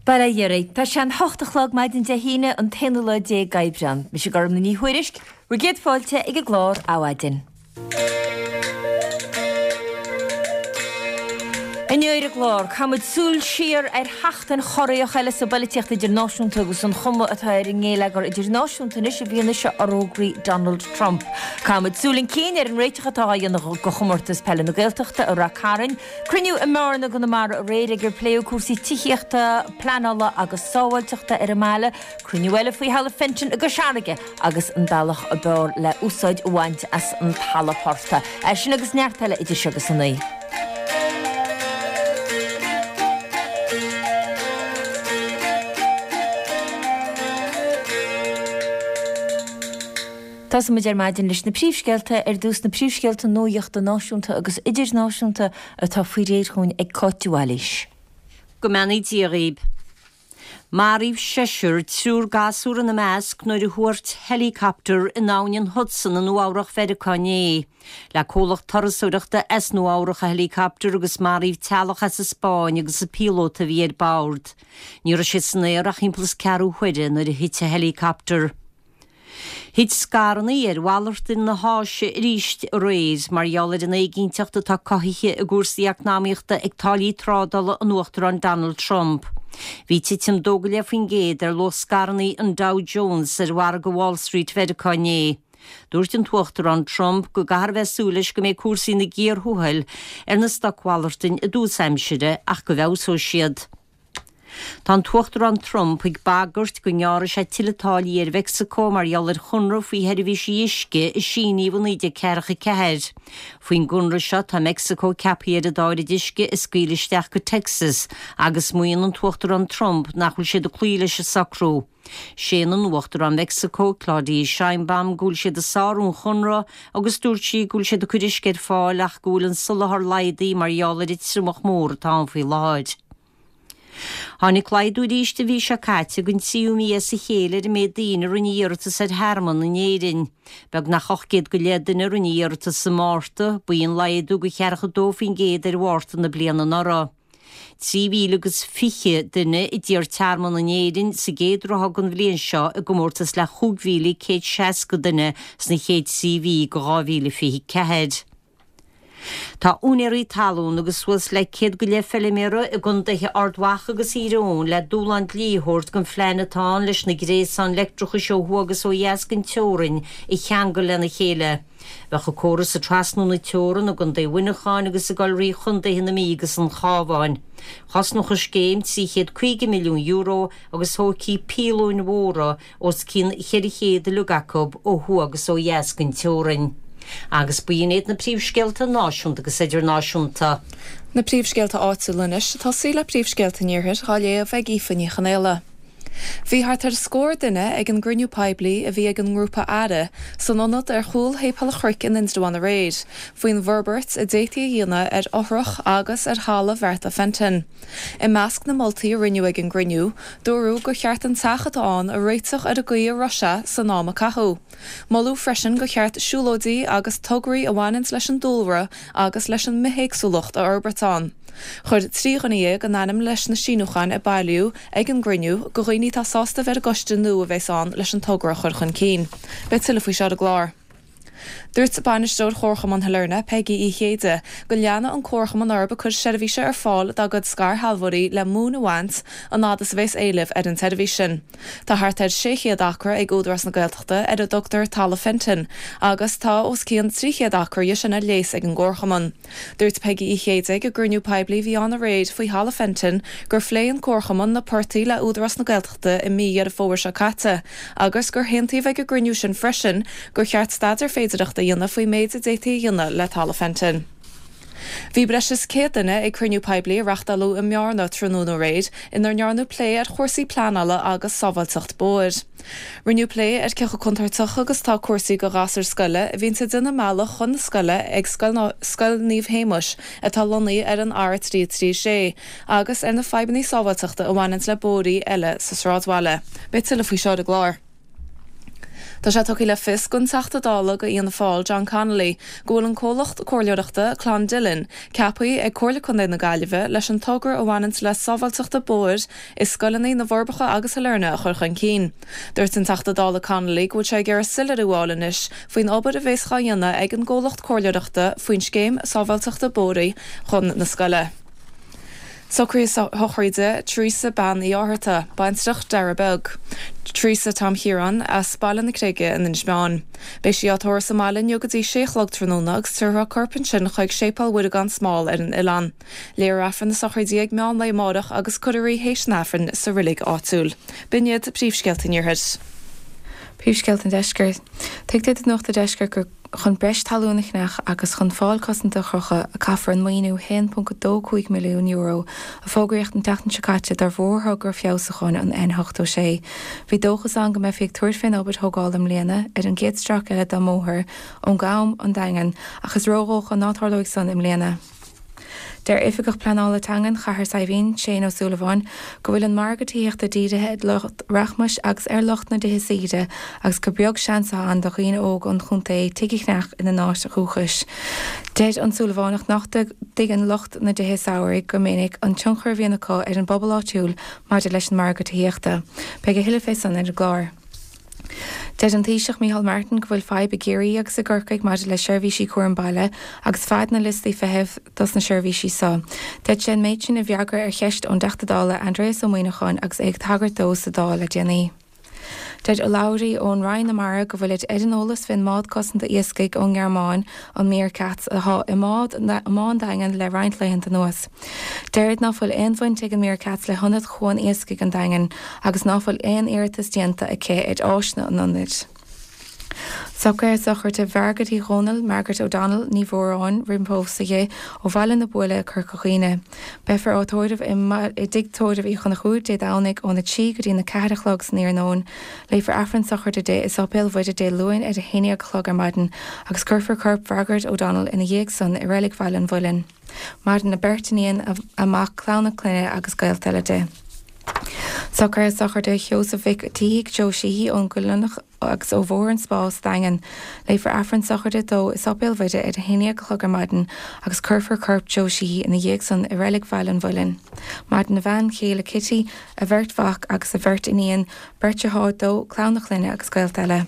Bail ó Dhia oraibh. Tá sé an hocht a chlog maidin Dé hAoine, an t-aonú lá déag d'Aibreán. Mise Gormlaith Ní Thuairisg, bhur gcéad fáilte ag an gclár Adhmhaidin. Inniu ar an gclár, caithfimid súil siar ar sheachtain chorraitheach eile sa bpolaitíocht idirnáisiúnta agus an chuma atá ar an ngéilleagar idirnáisiúnta anois i bhfianaise fhorógraí Donald Trump. Caithfimid súil chun cinn ar an réiteach atá á dhéanamh do Chomórtas Peile na Gaeltachta i Rath Cairn, Cruinniú i mBearna i gConamara aréir ag ar pléadh cúrsaí tithíochta, pleanála agus sábháilteachta ar an mbaile, cruinniú eile faoi Thalamh Fenton i gCois Fharraige agus an bealach ab fhearr le úsáid a bhaint as an talamh portaigh. É sin agus neart eile idir seo agus a 9. Tosóidh muid ar maidin leis na príomhscéalta, ar dtús na príomhscéalta nuaíochta náisiúnta agus idirnáisiúnta atá faoi réir chugainn ag Cáit de Bhailís. Go mbeannaí Dia dhaoib. Maraíodh seisear, triúr gasúr ina measc, nuair a thuairt helicopter in abhainn an Hudson i Nua Eabhrach Mheiriceá inné. Le comhlacht turasóireachta as Nua Eabhrach an helicopter agus maraíodh teaghlach as an Spáinn agus an píolóta a bhí ar bord. Ní raibh siad san aer ach thimpeall is ceathrú huaire nuair a thit an helicopter. Thit scaireanna ar mhalartaigh na hÁise arís aréir mar gheall ar an éiginnteacht atá cothaithe i gcúrsaí eacnamaíochta ag táillí trádála an Uachtaráin Donald Trump. Bhí titim 2.5% ar luach scaireanna an Dow Jones ar mhargadh Wall Street Mheiriceá inné. Dúirt an tUachtarán Trump go gcaithfear a bheith ag súil leis go mbeidh cúrsaí ina gcíor thuathail ar na stocmhalartaigh i dtús aimsire ach go bhfeabhsóidh siad. Tá an tUachtarán Trump ag bagairt go ngearrfaidh sé tuilleadh táillí ar Mheicsiceo mar gheall ar chonradh faoi sheirbhísí uisce a síníodh i 1944. Faoin gconradh seo tá Meicsiceo ceaptha ar an dá oiread uisce a scaoileadh isteach go Texas agus maíonn an tUachtarán Trump nach bhfuil siad ag cloí leis an socrú. Séanann Uachtarán Mheicsiceo, Claudia Sheinbaum, go bhfuil siad ag sárú an chonradh agus dúirt sí go bhfuil siad ag cur uisce ar fáil ach go bhfuil an soláthar laghdaithe mar gheall ar an triomach mór atá ann faoi láthair. Tháinig laghdú arís an mhí seo caite don tríú mí as a chéile ar an méid daoine a rinne iarratas ar thearmann in Éirinn. Beagnach 800 go leith duine a rinne iarratas sa Márta, ba í an laghdú de cheathracha 2% ar Mhárta na bliana anuraidh. 3,000 agus 20 duine a d'iarr tearmann in Éirinn sa gcéad ráithe den bhliain seo i gcomórtas le 5,160 duine sna chéad trí mhí de 2024. Tá úinéirí talún agus suas le 100 go leith feiliméara i gcontaetha Ard Mhacha agus Thír Eoghain le dúshlán dlí a thabhairt don phlean atá ann leis na gréasáin leictreachais ó thuaidh agus ó dheas den teorainn a cheangal lena chéile. Bheadh an córas ag trasnú na teorann i gContae Mhuineacháin agus ag dul thrí chontaetha na Mí agus an Chabháin. Chosnódh an scéim €350 milliún agus thógfaí píolóin mhóra os cionn 400 uilig acu ó thuaidh agus ó dheas den teorainn. Agus b'in iad na príomhscéalta náisiúnta agus idirnáisiúnta. Na príomhscéalta áitiúla anois, ag tosaí le príomhscéalta an Iarthair, á léamh ag Aoife Ní Chonaola. Bhí thart ar scór duine ag an gcruinniú poiblí a bhí ag an ngrúpa Aire san ionad ar chúl Shéipéal an Chnoic in Indreabhán aréir, faoin bhforbairt a d'fhéadfaí a dhéanamh ar fhothrach agus ar thalamh Bhearta Fenton. I measc na moltaí a rinneadh ag an gcruinniú, dúradh gur cheart an teach atá ann a réiteach ar an gcaoi a raibh sé san am a caitheadh. Moladh freisin gur cheart siúlóidí agus tograí a bhaineanns leis an dúlra agus leis an mbithéagsúlacht a fhorbairt ann. Chuir 13 dhuine a n-ainm leis na síniúcháin a bailíodh ag an gcruinniú, do dhaoine atá sásta a bheith ar an gcoiste nua a bheas ann leis an togra a chur chun cinn. Beidh tuilleadh faoi seo ar an gclár. Dúirt Bainisteoir Chomharchumann Shailearna, Peigí Uí Chéide, go leanfaidh an Comharchumann orthu ag cur seirbhíse ar fáil dá gcuid scairshealbhóirí le móin a bhaint an fhad is a bheas éileamh ar an tseirbhís sin. Tá thart ar 600 acra ag Údarás na Gaeltachta ar a dtugtar Talamh Fenton agus tá os cionn 300 acra dhe sin ar léas ag an gComharchumann. Dúirt Peigí Uí Chéide ag an gcruinniú poiblí a bhí ann aréir faoi Thalamh Fenton gur phléigh an Comharchumann na portaigh le Údarás na Gaeltachta i mí Dheireadh Fómhair seo caite agus gur haontaíodh ag an gcruinniú sin freisin gur cheart staidéar féidearthachta a dhéanamh faoin méid a d'fhéadfaí a dhéanamh le Talamh Fenton. Bhí breis is 100 duine ag cruinniú poiblí a reachtáladh i mBearna tráthnóna aréir inar ndearnadh plé ar chúrsaí pleanála agus sábháilteacht bóthair. Rinneadh plé ar cé chomh contúirteach agus atá cúrsaí do ghasúir scoile a bhíonns ag déanamh a mbealach chun na scoile ag Scoil Scoil Naomh Shéamuis atá lonnaithe ar an R3 3 6 agus ar na fadhbanna sábháilteachta a bhaineanns le bóithrí eile sa sráidbhaile. Beidh tuilleadh faoi seo ar an gclár. Tá sé tugtha le fios don Teachta Dála do Fhianna Fáil, John Connolly, go bhfuil an comhlacht comhairleoireachta, Clondillon, ceaptha ag Comhairle Contae na Gaillimhe leis an togra a bhaineanns le sábháilteachta bóthair i scoileanna na bhForbacha agus Sailearna a chur chun cinn. Dúirt an Teachta Dála Connolly go bhfuil sé ag iarraidh soiléiriú a fháil anois faoin obair a bhéas dhá dhéanamh ag an gcomhlacht comhairleoireachta faoin scéim sábháilteachta bóithre chun na scoile. Socruithe sochraide Teresa Bean Uí Fhátharta, baintreach Dara Beag. Teresa Tom Chiaráin, as Baile na Creige in Inis Meáin. Beidh sí á tórramh sa mbaile inniu go dtí sé a chlog tráthnóna agus tabharfar a corp ansin chuig Séipéal Mhuire gan Smál ar an oileán. Léifear Aifreann na sochraide ag meán lae amárach agus cuirfear í théis an Aifrinn sa reilig áitiúil. B'in iad príomhscéalta an Iarthair. Príomhscéalta an Deiscirt. Tuigtear do Nuacht an Deiscirt gur. Chun breis talún a cheannach agus chun fál cosanta a chrochadh a caithfear an maoiniú €1.25 milliún a fógraíodh an tseachtain seo caite do mhórthogra feabhsúcháin an N86. Bhí dóchas ann go mbeifí ag tabhairt fén obair thógála i mbliana ar an gcéad stráice eile dá mbóthar ón gCam, An Daingean, ach is ródhócha ná tarlóidh san i mbliana. Deir Oifigeach Pleanála Teangan Chathair Saidhbhín, Shane Ó Súilleabháin, go bhfuil an margadh tithíochta dírithe ar lucht rachmais agus ar lucht na dtithe saoire agus gur beag seans atá ann do dhaoine óga an chontae tigh a cheannach ina n-áit dhúchais. Deir an Súilleabhánach nach dtuigeann lucht na dtithe samhraidh go minic an tionchar a bhíonn acu ar an bpobal áitiúil maidir leis an margadh tithíochta. Beidh a thuilleadh fé san ar an gclár. Deir an Taoiseach Micheál Martin go bhfuil fadhb i gCiarraí agus i gCorcaigh maidir le seirbhísí cúram baile agus fad na liostaí feithimh dos na seirbhísí so. Deir sé an méid sin i bhfreagra ar cheist ón dTeachta Dála Aindrias Ó Muimhneacháin agus é ag tagairt dó sa Dáil le déanaí. Deir urlabhraí ón Roinn na Mara go bhfuilid ar an eolas fén mbád cosanta iascaigh ón nGearmáin, an Meerkatz, athá i mbá an Daingin le roinnt laethanta anuas. Deirid ná fuil aon bhaint ag an Meerkatz le hIonad Chuan Iascaigh an Daingin agus ná fuil aon iarratas déanta aici ar áiseanna an ionaid. Socruithe sochraide Mhargaret Uí Dhónaill, Margaret O'Donnell, Ní Mhóráin, roimh phósadh di, ó Bhaile na Buaile, Corca Dhuibhne. Beifear á tórramh i dTigh Tórraimh Uí Chonchúir Dé Domhnaigh óna 3 go dtí na 4 a chlog san iarnóin. Léifear Aifreann sochraide di i Sáipéal Mhuire Dé Luain ar a 11 a chlog ar maidin agus cuirfear corp Mhargaret O'Donnell ina dhiaidh san i Reilig Bhaile an Mhuilinn. Maireann a beirt iníon, a mac, clann a clainne agus gaolta eile di. Socruithe sochraide Sheosaimh Mhic Títhigh, Joe Sheehy, ón gCoilleanach agus ó Bhóthar an Spá sa Daingean. Léifear Aifreann sochraide dó i Sáipéal Mhuire ar a 11 a chlog ar maidin agus cuirfear corp Joe Sheehy ina dhiaidh san i Reilig Bhaile an Mhuilinn. Maireann a bhean chéile Kitty, a bheirt mhac agus a bheirt iníon, beirt deartháir dó, clann a chlainne agus gaolta eile.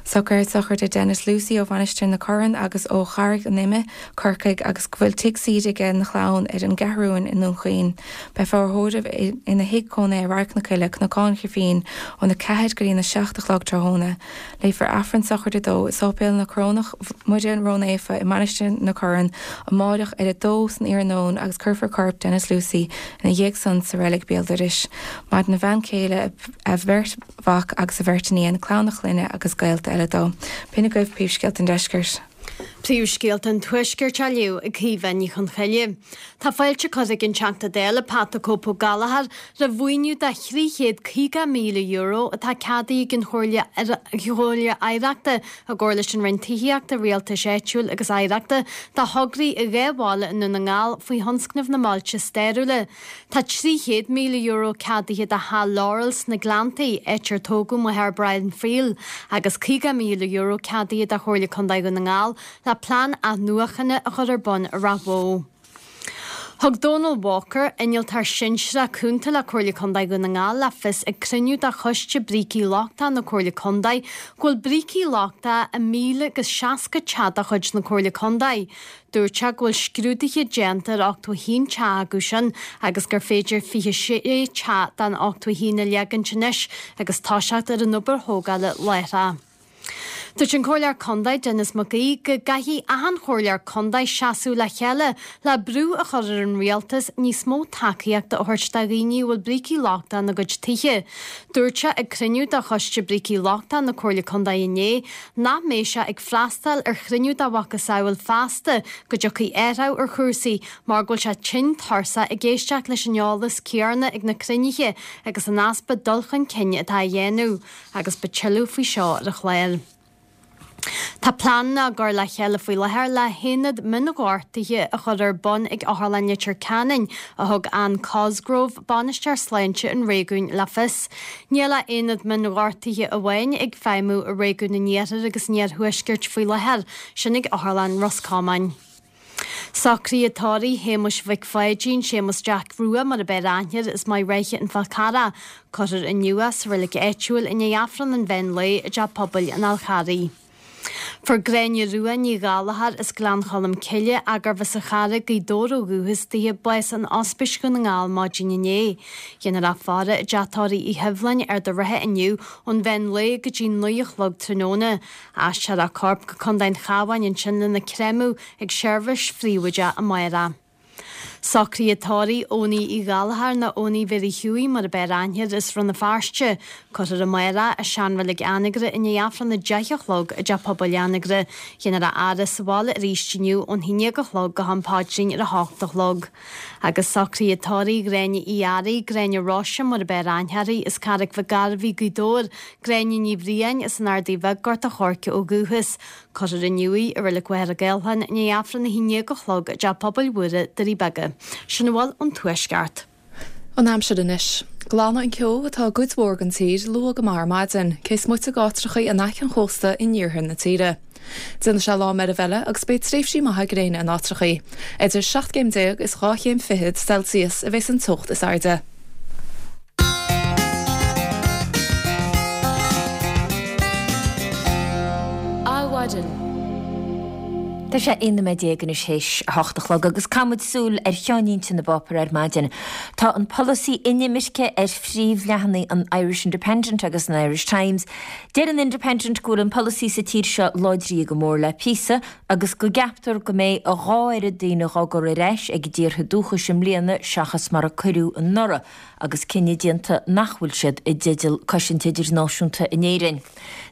Socruithe sochraide Denis Lucey ó Mhainistir na Corann agus ó Charraig an Ime, Corcaigh, agus go bhfuil tigh saoire aige ina chlann ar an gCeathrúin i nDún Chaoin. Beifear á thórramh ina thigh cónaithe i Radharc na Coille, Cnocán Chifín, óna 4 go dtína 7 a chlog tráthnóna. Léifear Aifreann sochraide dó i Sáipéal na Corónach Muire Rónaofa i Mainistir na Corann amáireach ar a dó san iarnóin agus cuirfear corp Denis Lucey ina dhiaidh san sa reilig béal dorais. Maireann a bhean chéile, a bheirt. mhac agus a bheirt iníon, clann a chlainne agus gaolta eile dó. B'in agaibh príomhscéalta an deiscirt. Príomhscéalta an Tuaiscirt á léamh ag Caoimhe Ní Chonchoille. Tá fáilte curtha ag an Teachta Dála Pat 'The Cope Ó Gallchóir roimh mhaoiniú de €350,000 atá ceadaithe ag an Chomhairle Oidhreachta i gcomhar leis an Roinn Tithíochta, Rialtais Áitiúil agus Oidhreachta do thograí i dhá bhaile i nDún na nGall faoi thionscnamh na mBailte Stairiúla. Tá €300,000 ceadaithe do Theach Laurel sna Gleanntaí, áit ar tógadh mo Brian Friel, agus €50,000 ceadaithe do Chomhairle Contae Dhún na nGall le plean athnuachana a chur ar bun i Ráth Bhoth. Thug Dónal Walker, Innealtóir Sinsearach Cúnta le Comhairle Contae Dhún na nGall le fios ag cruinniú de Choiste Brící Lochtacha na Comhairle Contae go bhfuil brící lochtacha i 1,060 teach de chuid na Comhairle Contae. Dúirt sé go bhfuil scrúduithe déanta ar 81 teach acu sin agus gur féidir 26 teach den 81 a leagaint anois agus toiseacht ar an obair thógála láithreach. Dúirt an Comhairleoir Contae Denis Mac Aoidh go gcaithfidh achan chomhairleoir contae seasamh le chéile le brú a chur ar an rialtas níos mó tacaíochta a thabhairt do dhaoine a bhfuil brící lochtacha ina gcuid tithe. Dúirt sé ag cruinniú de Choiste Brící Lochtacha na Comhairle Contae inné nach mbeidh sé ag freastal ar chruinniú dá mhacasamhail feasta go dtiocfaidh athrú ar chúrsaí mar go bhfuil sé tinn tuirseach ag éisteacht leis an eolas céanna ag na cruinnithe agus an easpa dul chun cinn atá á dhéanamh agus beidh tuilleadh faoi seo ar an chlár. Tá pleananna á gcur le chéile faoi láthair le haonad mionghortuithe a chur ar bun ag Otharlann Leitir Ceanainn, a thug Anne Cosgrove, Bainisteoir Sláinte an réigiúin, le fios. Níl ach aonad mionghortuithe amháin ag feidhmiú i réigiún an Iarthair agus an Iarthuaiscirt faoi láthair, sin ag Otharlann Ros Comáin. Socruithe tórraimh Shéamuis Mhic Pháidín, Séamus Jack Rua mar ab fhearr aithne air, as Maigh Rátha an Fhál Carrach. Cuirfear inniu é sa reilig áitiúil i ndiaidh Aifreann an mheán lae i dTeach Pobail an Fháil Charraigh. Fuair Gráinne Rua Ní Ghallchóir as Gleann Cholm Cille, arbh as an Charraig, Gaoth Dobhair ó dhúchas dithe, bás in Ospís Dhún na nGall maidin inné. Déanfar í a fhaire i dTeach Tórraimh Uí Sheibhleáin, Ard an Rátha inniu ón mheán lae go dtí 9 a chlog tráthnóna. Aistreofar a corp go Contae an Chabháin ansin lena créamadh ag seirbhís phríobháideach amárach. Socruithe tórraimh Eoiní Uí Ghallchóir nó Eoiní Mhéirí Hughie mar ab fhearr aithne air as Rann na Feirste. Cuirfear amárach é i seanreilig Anagaire i ndiaidh Aifreann a 10 a chlog i dTeach Pobail Anagaire. Déanfar a fhaire sa bhaile arís inniu ón 11 a chlog go ham paidrín ar a hocht a chlog. Agus socruithe tórraimh Ghráinne Uí Fhearraigh, Gráinne Róise mar ab fhearr aithne uirthi, as Carraig Mhic Gairbhí, Gaoth Dobhair, Gráinne Ní Bhriain, as an Ardaidh Bheag, Gort a' Choirce ó dhúchas. Cuirfear inniu í i Reilig Mhachaire Gathlán i ndiaidh Aifreann 11 a chlog i dTeach Pobail Mhuire, Doirí Beaga. Sin a bhfuil ón Tuaisceart. An aimsir anois. Glanfaidh an ceo atá i gcuid mhór den tír luath go maith ar maidin, cé is moite d'áitreachaí in aice an chósta in iarthar na tíre. Déanfaidh sé lá meirbh eile agus beidh tréimhsí maithe gréine in áitreachaí. Idir 17 gcéim is 2 chéim fichead Celsius a bheas an teocht is airde. Adhmhaidin. Tá sé 11 nóiméad anois théis a hocht a chlog agus caithfidh muid súil ar cheannlínte na bpáipéar ar maidin. Tá an polasaí inimirce ar phríomhleathanaigh an Irish Independent agus an Irish Times. Deir an Independent go bhfuil an polasaí sa tír seo láidrithe go mór le píosa agus go gceaptar go mbeidh a dhá oiread daoine dhá gcur ar ais ag a dtíortha dúchais i mbliana seachas mar a cuireadh anuraidh agus cinneadh déanta nach bhfuil siad i dteideal cosaint idirnáisiúnta in Éirinn.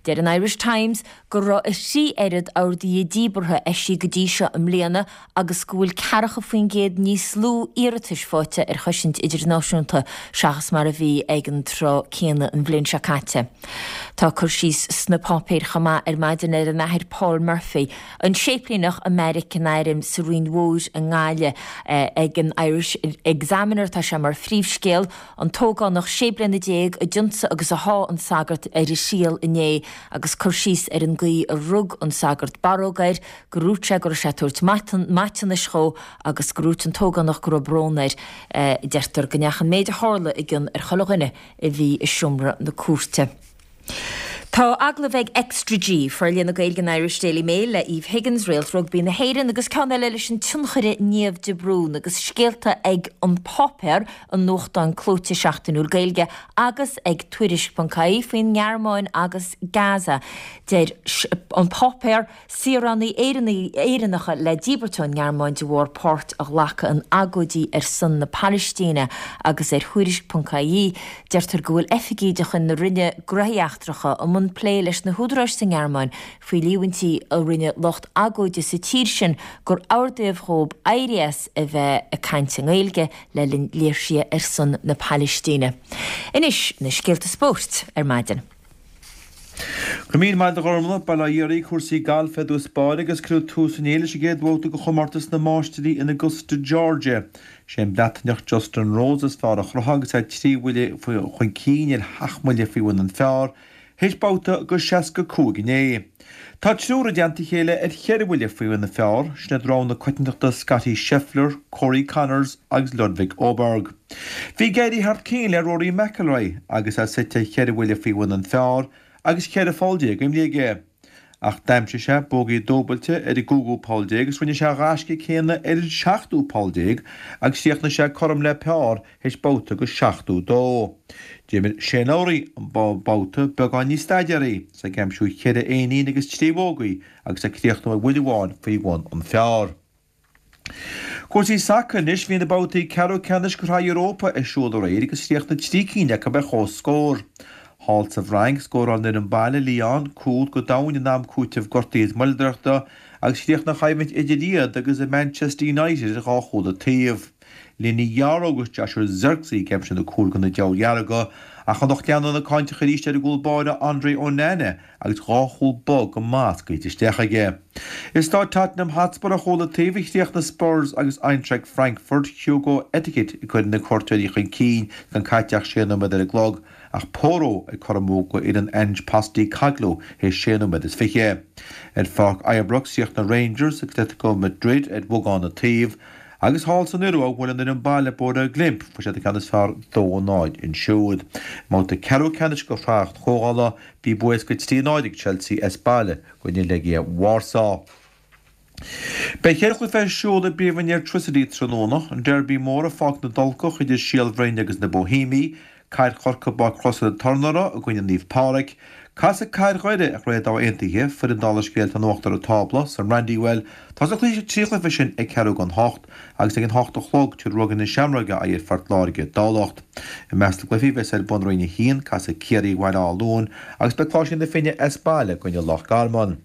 Deir an Irish Times go raibh a thrí oiread orduithe díbeartha eisithe go dtí seo i mbliana agus go bhfuil 40% níos lú iarratais faighte ar chosaint idirnáisiúnta seachas mar a bhí ag an tráth céanna an bhliain seo caite. Tá cur síos sna páipéir chomh maith ar maidin ar an Athair Paul Murphy, an séiplíneach i mbeairic an airm sa Rinn Mhór i nGaillimh. Ag an Irish Examiner tá sé mar phríomhscéal. An t-ógánach 16 bliana a d'ionsaigh agus a sháigh an sagart ar a thriail inné agus cur síos ar an gcaoi a rug an sagart barróg air, gur dhúirt sé go raibh sé ag tabhairt maiteanais dhó agus gur dhúirt an t-ógánach go raibh brón air. Deirtear go ndeachaigh an méid a tharla i gcion ar chuile dhuine a bhí i seomra na cúirte. Tá agallamh ag Extra G, Forlíonadh na Gaeilge an Irish Daily Mail le Eve Higgins, réalt rugbaí na hÉireann, agus ceann eile leis an tionchaire Niamh de Brún, agus scéalta ag An Páipéar, an nuachtán clóite seachtainiúil Gaeilge, agus ag Tuairisc.ie faoin nGearmáin agus Gaza. Deir An Páipéar. Saoránaigh Éireannacha le díbirt ón nGearmáin de bharr páirt a ghlacadh in agóidí ar son na Palaistíne agus ar Thuairisc.ie deirtear go bhfuil oifigigh de chuid na Roinne Gnóthaí Eachtracha i mbun plé leis na húdaráis sa nGearmáin faoi líomhaintí a rinne lucht agóide sa tír sin gur ordaíodh dhóibh éirí as a bheith ag caint i nGaeilge le linn léirsithe ar son na Palaistíne. Anois na scéalta spóirt ar maidin. Go raibh míle maith agat a Ghormfhlaith, bail ó Dhia oraibh, cúrsaí gailf i dtús báire agus cuireadh tús inné leis an gcéad bhabhta de chomórtas na Máistirí in Augusta, Georgia. Sé an Breataineach Justin Rose is fearr a chruthaigh agus é trí bhuille chun cinn ar sheacht mbuille faoi bhun an phar théis babhta de 65 inné. Tá triúr i dteannta a chéile ar cheithre bhuille faoi bhun an phar, sin iad rogha na coitiantachta Scottie Scheffler, Corey Conners agus Ludvig Åberg. Bhí ag éirí thar cionn le Rory McIlroy agus é suite cheithre bhuille faoi bhun an phar agus 14 pholl imeartha aige. Ach d'aimsigh sé bógaí dúbailte ar an gcúigiú poll déag agus rinne sé a ghaisce céanna ar an seachtú poll déag agus chríochnaigh sé cothrom le par théis babhta de 72. D'imir Shane Lowry an babhta beagán níos staidéaraí, is é ag aimsiú cheithre éinín agus trí bhógaí agus ag críochnú ar bhuille amháin faoi bhun an phar. Cúrsaí sacair anois, bhí na babhtaí ceathrú ceannais de Shraith Europa ar siúl aréir agus chríochnaigh trí cinn acu ar comhscór. Thall sa bhFrainc, scóráil an fhoireann baile, Lyon, cúl go domhain in am cúitimh gortaithe is moilleadóireachta agus chríochnaigh an choimhlint idir iad agus Manchester United ar dhá chúl an taobh. Leny Yoro agus Joshua Zirkzee ag aimsiú na cúil do na Diabhail Dhearga. Ach an lucht leanúna cáinteach arís ar a gcúl báire Andre Onana agus 2 chúl bog go maith scaoilte isteach aige. I staid Tottenham Hotspur ar chúl an taobh a chríochnaigh Spurs agus Eintracht Frankfurt, Hugo Ekitike ag cur na cuairteoirí chun cinn gan caite ach sé nóiméad ar an gclog ach Porro ag cur amú go fhoireann Ange Postecoglou théis sé nóiméad is fiche. Ar pháirc Ibrox chríochnaigh Rangers agus Atletico Madrid ar bhogán an taobh agus thall san Iorua bhuail an fhoireann baile Bodø Glimt, fuair siad an ceann is fearr 2-0 ansiúd. I mbabhta ceathrú ceannais de Shraith an Chomhdhála bhí bua éasca 3-0 ag Chelsea as baile i gcoinne Legia Warsaw. Beidh cheithre chluiche ar siúl i bPríomhroinn Airtricity tráthnóna, an Derby mór i Pháirc na dTulcach idir Síol Bhroin agus na Boihéimigh, Cathair Chorcaí i bPáirc Chrosaire Turnaire i gcoinne Naomh Pádraig, casfaidh Cathair Dhoire ar Chraobh Dámh Aontaithe, foireann dála an scéil atá in uachtar an tábla, san Brandywell. Tosóidh na trí chluiche sin ag ceathrú don hocht agus ag an hocht a chlog tabharfaidh Ruagairí na Seamróige aghaidh ar Phort Láirge i dTamhlacht. I measc na gcluichí a bheas ar bun i Roinn 1, casfaidh Ciarraí Bhaile Átha Luain agus beidh Cláirsigh na Finne as baile i gcoinne Loch Garman.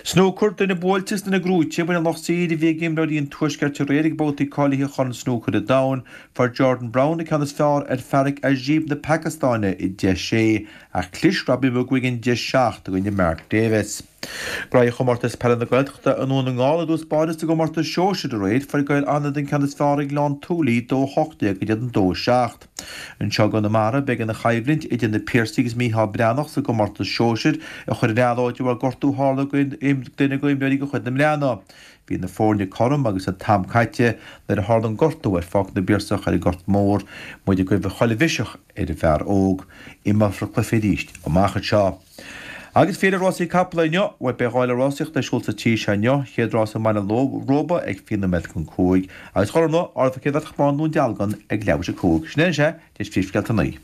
Snúcar, duine buailte is duine gnóite, b'in an lucht saoire a bhí ag imreoirí an Tuaiscirt aréir ag babhtaí cáilithe Chorn Snúcair an Domhain. Fuair Jordan Brown an ceann is fearr ar Farakh Ajeeb na Pacastáine i 10 6, ach chlis Robbie McGuigan 10 7 i gcoinne Mark Davis. Graithe Chomórtas Peile na Gaeltachta i nDún na nGall i dtús báire sa gcomórtas sóisir aréir, fuair Gaeil Fhánada an ceann is fearr ar Ghleann tSúilí 2 18 in éadan 2 7. Anseo i gConamara, b'éigean an choimhlint idir na Piarsaigh agus Mícheál Breathnach sa gcomórtas sóisir a chur ar athló de bharr gortú a tharla do dhuine d'imreoirí de chuid na mBreathnach. Bhí na foirne cothrom agus an t-am caite nuair a tharla an gortú ar Pháirc na bPiarsach ar an nGort Mór, muid ag guí chuile mhiseach ar an bhfear óg. Imreofar an cluiche arís amach anseo. Agus féile rásaí capall inniu, bhuel beidh dáileadh rásaíochta ar siúl sa tír seo inniu, chéad rás i mBaile Róba ag 5 nóiméad chun 5, agus a Ghormfhlaith, ardú Chéad Bhratach Bán Dhún Dealgan ag leathuair tar éis 5. Sin é anois é, tar éis phríomhscéalta a naoi.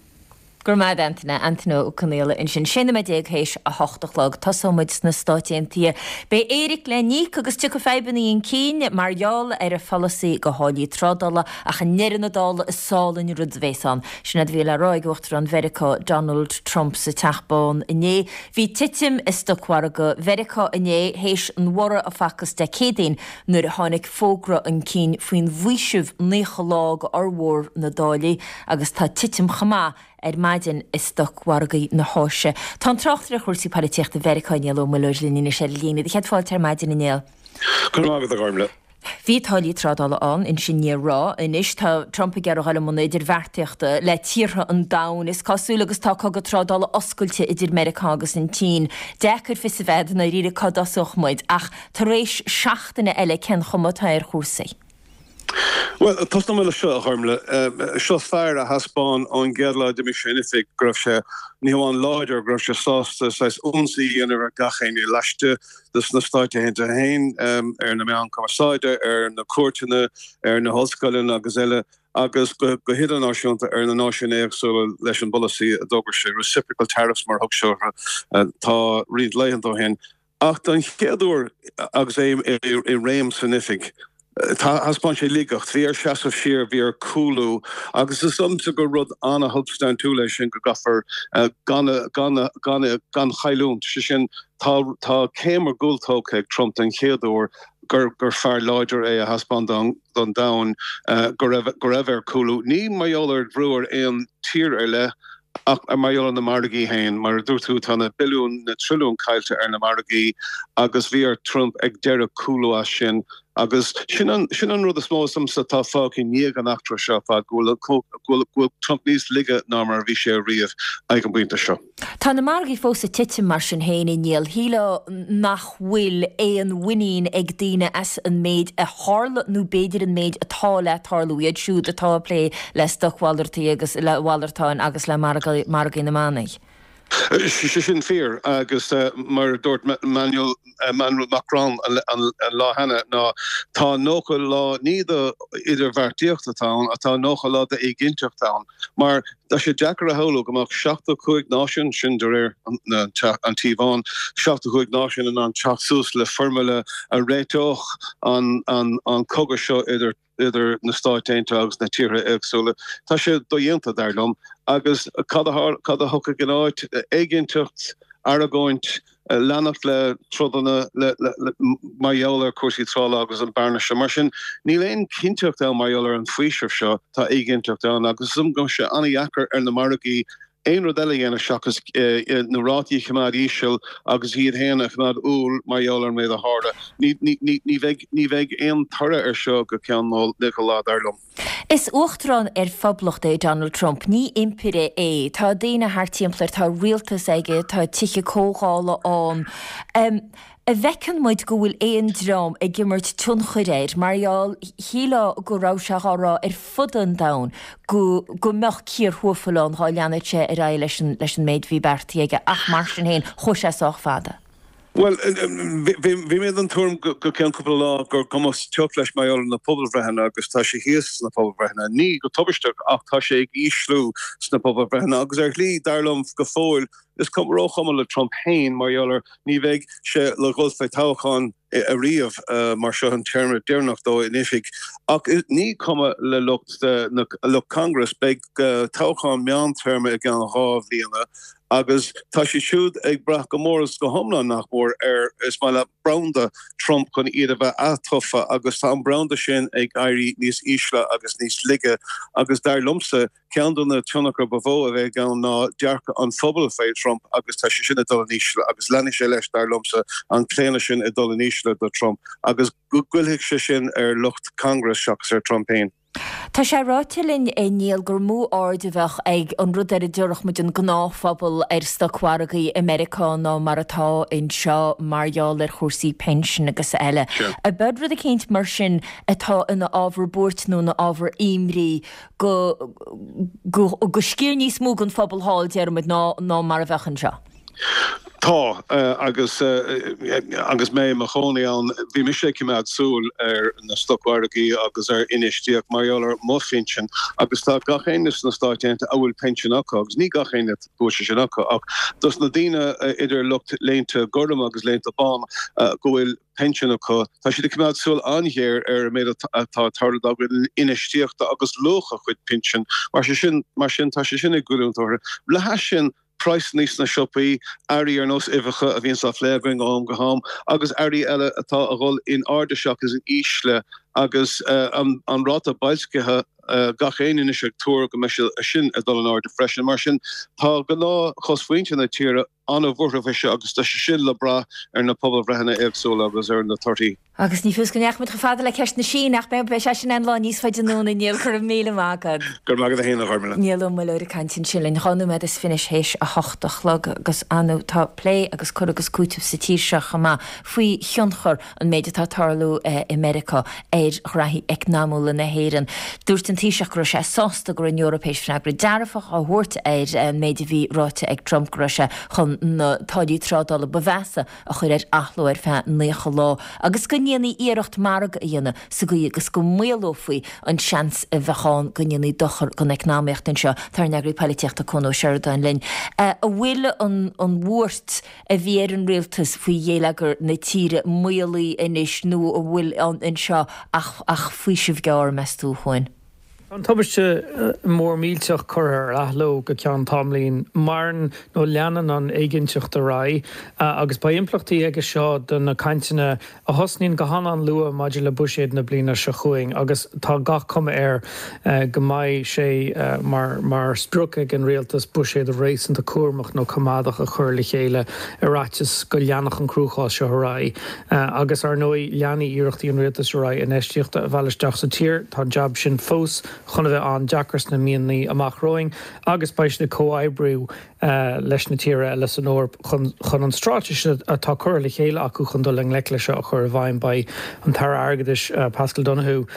Go raibh maith agat Antaine, Antaine Ó Conaola ansin. 16 nóiméad théis a hocht a chlog. Tosóidh muid sna Stáit Aontaithe. Beidh éiric le n-íoc agus tiocfaidh fadhbanna chun cinn mar gheall ar a pholasaí go tháillí trádála ach i ndeireadh na dála is álainn an rud a bhéas ann. Sin é a bhí le rá ag Uachtarán Mheiriceá Donald Trump sa Teach Bán inné. Bhí titim i stocmhargadh Mheiriceá inné théis an bhorraidh a facthas Dé Céadaoin nuair a tháinig fógra chun cinn faoin bhfaoiseamh 90 lá go fhormhór na dtáillí agus tá titim chomh maith ar maidin i stocmhargaí na hÁise. Tá an tráchtaire ar chúrsaí poilitíochta Mheiriceá Niall Ó Muilleoir linn anois ar an líne. Do chéad fáilte ar maidin a Néill. Go raibh maith agat a Ghormfhlaith. Bhí táillí trádála ann, ansin ní raibh. Anois tá Trump ag iarraidh dul i mbun idirbheartaíochta le tíortha an domhain, is cosúil, agus tá cogadh trádála oscailte idir Meiriceá agus an tSín. Deacair fios a bheith i ndáiríre cá dtosódh muid, ach tar éis seachtaine eile cén chuma atá ar chúrsaí? Bhuel, tosnóidh mé leis seo, a Ghormfhlaith. Seo fear a thaispeáin ón gcéad lá a d'imigh sé in oifig go raibh sé, ní hamháin láidir, go raibh sé sásta saghas ionsaí a dhéanamh ar gach éinne laistigh de sna Stáit Aontaithe féin, ar na meáin cumarsáide, ar na cúirteanna, ar na hollscoileanna agus eile, agus go hidirnáisiúnta ar na náisiúin éagsúla leis an bpolasaí a d'fhógair sé, reciprocal tariffs mar a thug sé orthu, tá roinnt laethanta ó shin. Ach don chéad uair agus é i réim san oifig, thaispeáin sé laigeacht. Bhí air seasamh siar, bhí air cúlú agus is dóigh liomsa gur rud an-shubstaintiúil é sin go gcaithfear gan gan chailliúint. Sé sin, tá tá céim ar gcúl tógtha ag Trump den chéad uair gur gur fear láidir é a thaispeáin don don domhan go raibh go raibh air cúlú. Ní mar gheall ar bhrú ar aon tír ar leith Ach mar gheall ar na margaí féin, mar a dúirt tú, tá na billiúin, na trilliúin caillte ar na margaí agus bhí ar Trump ag deireadh cúlú as sin. Agus sin an, sin an rud is mó is dóigh liomsa atá fágtha i ndiaidh an eachtra seo ar fad, go bhfuil, go bhfuil, go bhfuil Trump níos laige ná mar a bhí sé riamh ag an bpointe seo. Tá na margaí fós ag titim mar sin féin, a Néill. Shílfeá nach bhfuil aon mhuinín ag daoine as an méid a tharla nó b'fhéidir an méid atá le tarlú, iad siúd atá ag plé le stocmhalartaí agus le mhalartáin agus le margaí na mbannaí. Sé sin fíor agus mar a dúirt Emmanuel Macron an lá cheana ná tá 90 lá ní do idirbheartaíocht atá ann ach tá 90 lá d'éiginnteacht ann. Mar tá sé deacair a shamhlú go mbeadh 75 náisiún, sin de réir an Tí Bháin, 75 náisiún in ann teacht suas le foirmle a réiteodh an cogadh seo idir idir na Stáit Aontaithe agus na tíortha éagsúla. Tá sé dodhéanta, dar liom. Agus cad a thiocfaidh ina áit? Éiginnteacht, argóint, leanacht le trodanna mar gheall ar chúrsaí trádála agus an bearna seo. Mar sin, níl aon chinnteacht ann mar gheall ar an bhfaoiseamh seo, tá éiginnteacht ann agus is dóigh liom go mbeidh sé an-dheacair ar na margaí. aon rud eile a dhéanamh seachas na rátaí a choimeád íseal agus iad féin a choimeád umhal mar gheall ar an méid a tharla. Ní bheidh, ní bheidh aon toradh air seo go ceann 90 lá, dar liom. Is uachtarán ar phoblacht é Donald Trump, ní impire é. Tá daoine thart timpeall air, tá rialtas aige, tá tithe comhdhála ann. An bhfeiceann muid go bhfuil aon dream ag imirt tionchair air mar gheall, shílfeá go raibh sé dhá rá ar fud an domhain go go mbeadh cíor thuafail ann dhá leanfadh sé ar aghaidh leis an leis an méid a bhí beartaithe aige ach mar sin féin chuaigh sé sách fada. Bhuel, bhí mé den tuairim go ceann cúpla lá gur cuma teocht leis mar gheall ar na pobalbhreitheanna agus tá sé thíos sna pobalbhreitheanna. Ní go tubaisteach ach tá sé ag ísliú sna pobalbhreitheanna agus ar shlí, dar liom go fóill, is róchuma le Trump féin mar gheall ar ní bheidh sé le dhul fé toghchán ariamh mar seo an téarma deireanach dó in oifig. Ach ní cuma le lucht lucht Congress, beidh toghchán meántéarma i gceann 2 bhliana agus tá siad siúd ag brath go mór is go hiomlán, nach mór, ar, is maith leat, branda Trump chun iad a bheith atofa agus tá an branda sin ag éirí níos ísle agus níos laige agus dar liomsa, Ceann de na tionchair ba mhó a bheidh ann ná dearcadh an phobail fé Trump agus tá sé sin ag dul in ísle agus leanfaidh sé leis, dar liomsa, an claonadh sin ag dul in ísle do Trump agus goillfidh sé sin ar lucht Congress seachas ar Trump féin. Tá sé ráite linn, a Niall, gur mó aird a bheadh ag an rud ar a déarfadh muid an gnáthphobal ar stocmhargaí i Meiriceá ná mar atá anseo mar gheall ar chúrsaí pinsin agus eile. Ab ea rud eicínt mar sin atá ina ábhar buairt nó ina ábhar imní go, go, go sciar níos mó den phobal thall, déarfaimid, ná, ná mar a bheadh anseo. Tá, agus, agus mé i mo chónaí ann, bhí mise ag coimeád súil ar na stocmhargaí agus ar infheistíocht mar gheall ar mo phinsean agus tá gach éinne sna Stáit Aontaithe a bhfuil pinsean acu, agus ní gach éinne go bhfuil sé sin acu, ach dos na daoine idir lucht léinte gorm agus léinte bán go bhfuil pinsean acu. Tá siad ag coimeád súil an-ghéar ar an méid atá ag tarlú dá gcuid infheistíochta agus luach a chuid pinsean. Mar sin, mar sin, tá sé sin ag goilliúint orthu. Le hais sin, praghsanna sna siopaí, earraí ar nós uibheacha a bhíonns á phlé againn ó am go ham, agus earraí eile atá a dhul in airde seachas in ísle, agus an ráta boilscithe, gach éinne anois ag tuar go mbeidh sé sin ag dul in airde freisin. Mar sin, tá gnáthchosmhuintir na tíre an-bhuartha faoi seo agus tá sé sin le brath ar na pobalbhreitheanna éagsúla agus ar na torthaí. Agus ní fios go ndeachaigh muid chomh fada le ceist na Síne ach beidh sé sin aon lá níos faide anonn a Niall, go raibh míle maith agat. Go raibh maith agat féin a Ghormlaith. Niall Ó Muilleoir ag caint ansin linn 2 nóiméad is fiche théis a hocht a chlog agus ar ndóigh tá plé agus cur agus cúiteamh sa tír seo chomh maith faoi thionchar an méid atá ag tarlú i Meiriceá ar ghraithí eacnamúla na hÉireann. Dúirt an Taoiseach go raibh sé sásta go raibh an Eoraip théis freagra dearfach a thabhairt ar an méid a bhí ráite ag Trump go raibh sé chun na táillí trádála ba mheasa a chur ar athló ar feadh 90 lá agus go ndéanfaí iarracht margadh a dhéanamh sa gcaoi agus go maolófaí an seans a bheadh ann go ndéanfaí dochar don eacnamaíocht anseo. Tá ár n-eagraí poilitíochta Cuan Ó Seireadáin linn. An bhfuil an bhuairt a bhí ar an rialtas faoi ghéilleagar na tíre maolaithe anois nó an bhfuil anseo ach faoiseamh gearr, meas tú, a Chuain? Tá an tubaiste mór millteach curtha ar athló go ceann tamaillín. Maireann nó leanann an éiginnteacht ar aghaidh agus beidh impleachtaí aige seo do na cainteanna a thosnaíonn go han-an-luath maidir le buiséad na bliana seo chugainn agus tá gach cuma air go mbeidh sé mar sprioc ag an rialtas buiséad réasúnta cúramach nó coimeádach a chur le chéile ar fhaitíos go leanfadh an cruachás seo ar aghaidh. Agus, ar ndóigh, leanfaidh iarrachtaí an rialtais ar aghaidh infheistíocht a mhealladh isteach sa tír. Tá an jab sin fós chun a bheith an-deacair sna míonna amach romhainn agus beidh siad ag comhoibriú leis na tíortha eile san Eoraip chun chun an straitéis atá curtha le chéile acu chun dul i ngleic leis seo a chur i bhfeidhm. Beidh an tAire Airgeadais Paschal Donohoe